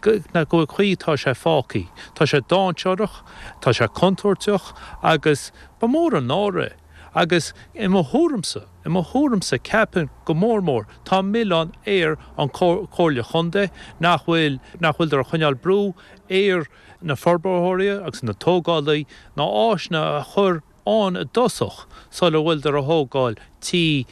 go bhfuil chaoi atá sé fágtha. Tá sé dainséarach, tá sé contúirteach agus ba mhór an náire é. Agus i mo thuairimse, i mo thuairimse, ceapaim go mór mór, tá an milleán ar an Chomhairle Chontae nach bhfuil, nach bhfuileadar ag coinneáil brú ar na forbarthóirí agus na tógálaí na áiseanna a chur ann i dtosach sula bhfuileadar a thógáil tí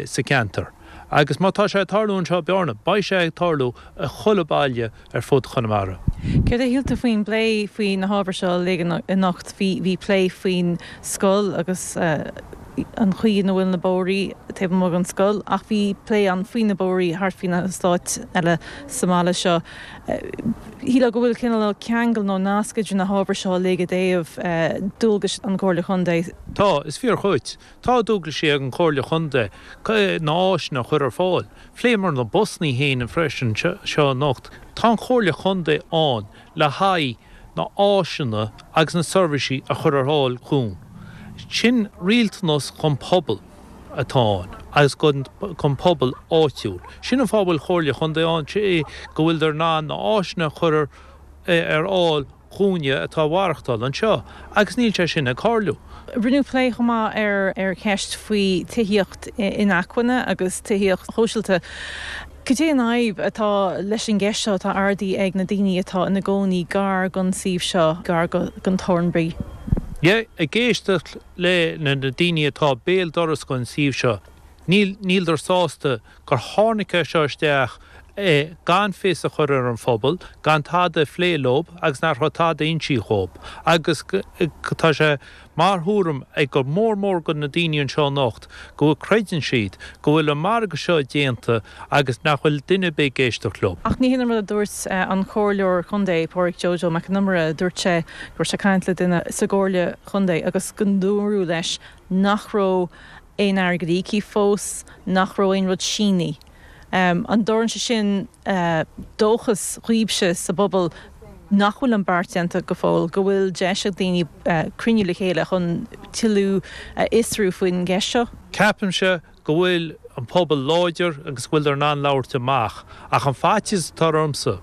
sa cheantar. Agus má tá sé ag tarlú anseo i Bearna, beidh sé ag tarlú i chuile baile ar fud Chonamara. Céard a shíl tú faoin bplé faoi na hábhair seo uilig anocht? Bhí bhí plé faoin scoil agus an chaoi ina bhfuil na bóithrí taobh amuigh den scoil ach bhí plé ann faoi na bóithrí thart faoi na heastáit eile sa mbaile seo. Shílfeá go bhfuil cineál ceangal nó nasc idir na hábhair seo uilig i dtaobh dualgais an Chomhairle Chontae. Tá, is fíor dhuit. Tá dualgaisí ag an Chomhairle Chontae na áiseanna a chur ar fáil. Phléamar na busannaí féin freisin seo anocht. Tá an Chomhairle Chontae ann le haghaidh na áiseanna agus na seirbhísí a chur ar fáil dhúinn. Sin rialtanas dhon pobal. atá ann agus don pobal áitiúil. Sin an fáth a bhfuil Comhairle Chontae ann, go bhfuileadar in ann na áiseanna a chur ar fháil dhúinne atá ag mhaireachtáil anseo agus níl sé sin ag tarlú. Rinneadh plé chomh maith ar ar cheist faoi tithíocht inacmhainne agus tithíocht shóisialta. Cad é an fhadhb atá leis an gceist seo atá ardaithe ag na daoine atá ina gcónaí gar don suíomh seo, gar don Thornbury? Yeah, ag éisteacht le na daoine atá béal dorais den suíomh seo. Níl, níldar sásta gur tháinig é seo isteach gan fios a chur ar an phobal, gan tada a phlé leob agus nach raibh tada insithe dhób. Agus tá sé mar thuairim ag go mór mór go na daoine anseo anocht go bhfuil, creideann siad go bhfuil an margadh seo déanta agus nach bhfuil duine ar bith ag éisteacht leo. Ach ní hin an rud a dúirt an Comhairleoir Contae, Pádraig Joe Joe Mac Con Iomaire. Dúirt sé go raibh sé ag caint le duine sa gComhairle Chontae agus go ndúradh leis nach raibh aon airgead íoctha fós, nach raibh aon rud sínithe. An dtabharann sé sin dóchas dhaoibhse sa bpobal nach bhfuil an beart déanta go fóill, go bhfuil deis ag daoine cruinniú le chéile chun tuilleadh a fhiosrú faoin gceist seo? Ceapaimse go bhfuil an pobal láidir agus go bhfuileadar in ann labhairt amach ach an faitíos atá ormsa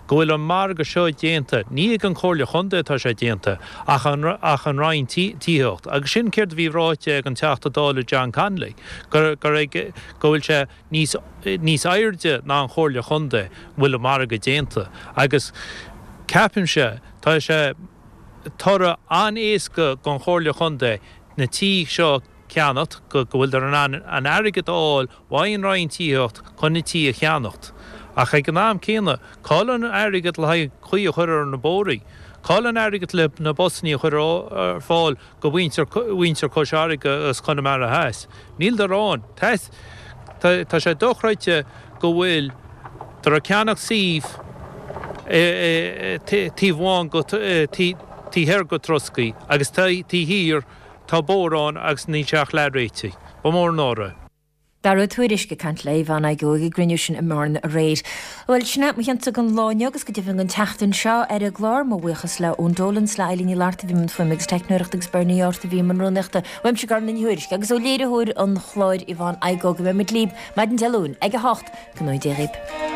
go bhfuil an margadh seo déanta, ní ag an Chomhairle Chontae atá sé déanta ach an ach an Roinn Tithíochta agus sin céard a bhí ráite ag an Teachta Dála John Connolly gur gur ag go bhfuil sé níos níos airde ná an Chomhairle Chontae bhfuil an margadh déanta agus ceapaimse tá sé toradh an-éasca don Chomhairle Chontae na tithe seo ceannacht, go bhfuileadar in ann an airgead a fháil uaidh an Roinn Tithíocht chun na tithe a cheannacht. Ach ag an am céanna, cá bhfuil an airgead le haghaidh caoi a chur ar na bóithrí? Cá bhfuil an airgead le na busannaí a chur ar fáil go mhuintir mhuintir Chois Fharraige agus Chonamara Theas? Níleadar ann. Tá sé dochreidte go bhfuil dar ag ceannacht suímh taobh amháin go taobh thoir go Troscaí agus taobh thiar Tá bóthar ann agus níl sé ach leath réitithe. Ba mhór an náire é. Dara Ó Tuairisg ag caint le Yvonne Igoe ag an gcruinniú sin i mBearna aréir. Bhuel, sin é mo chionsa don lá inniu agus go deimhin don tseachtain seo ar an gclár. Mo bhuíochas le Eoin Dolan 's le Eilín Ní Fhlatharta a bhí i mbun fuaime agus teicneoireachta agus Bernie Arthur a bhí i mbun rúnaíochta. Uaimse Gormfhlaith Ní Thuairisg agus ó léiritheoir an chláir Yvonne Igoe go mbeidh muid libh maidin Dé Luain ag 8. Go ngnóthaí Dia dhaoibh.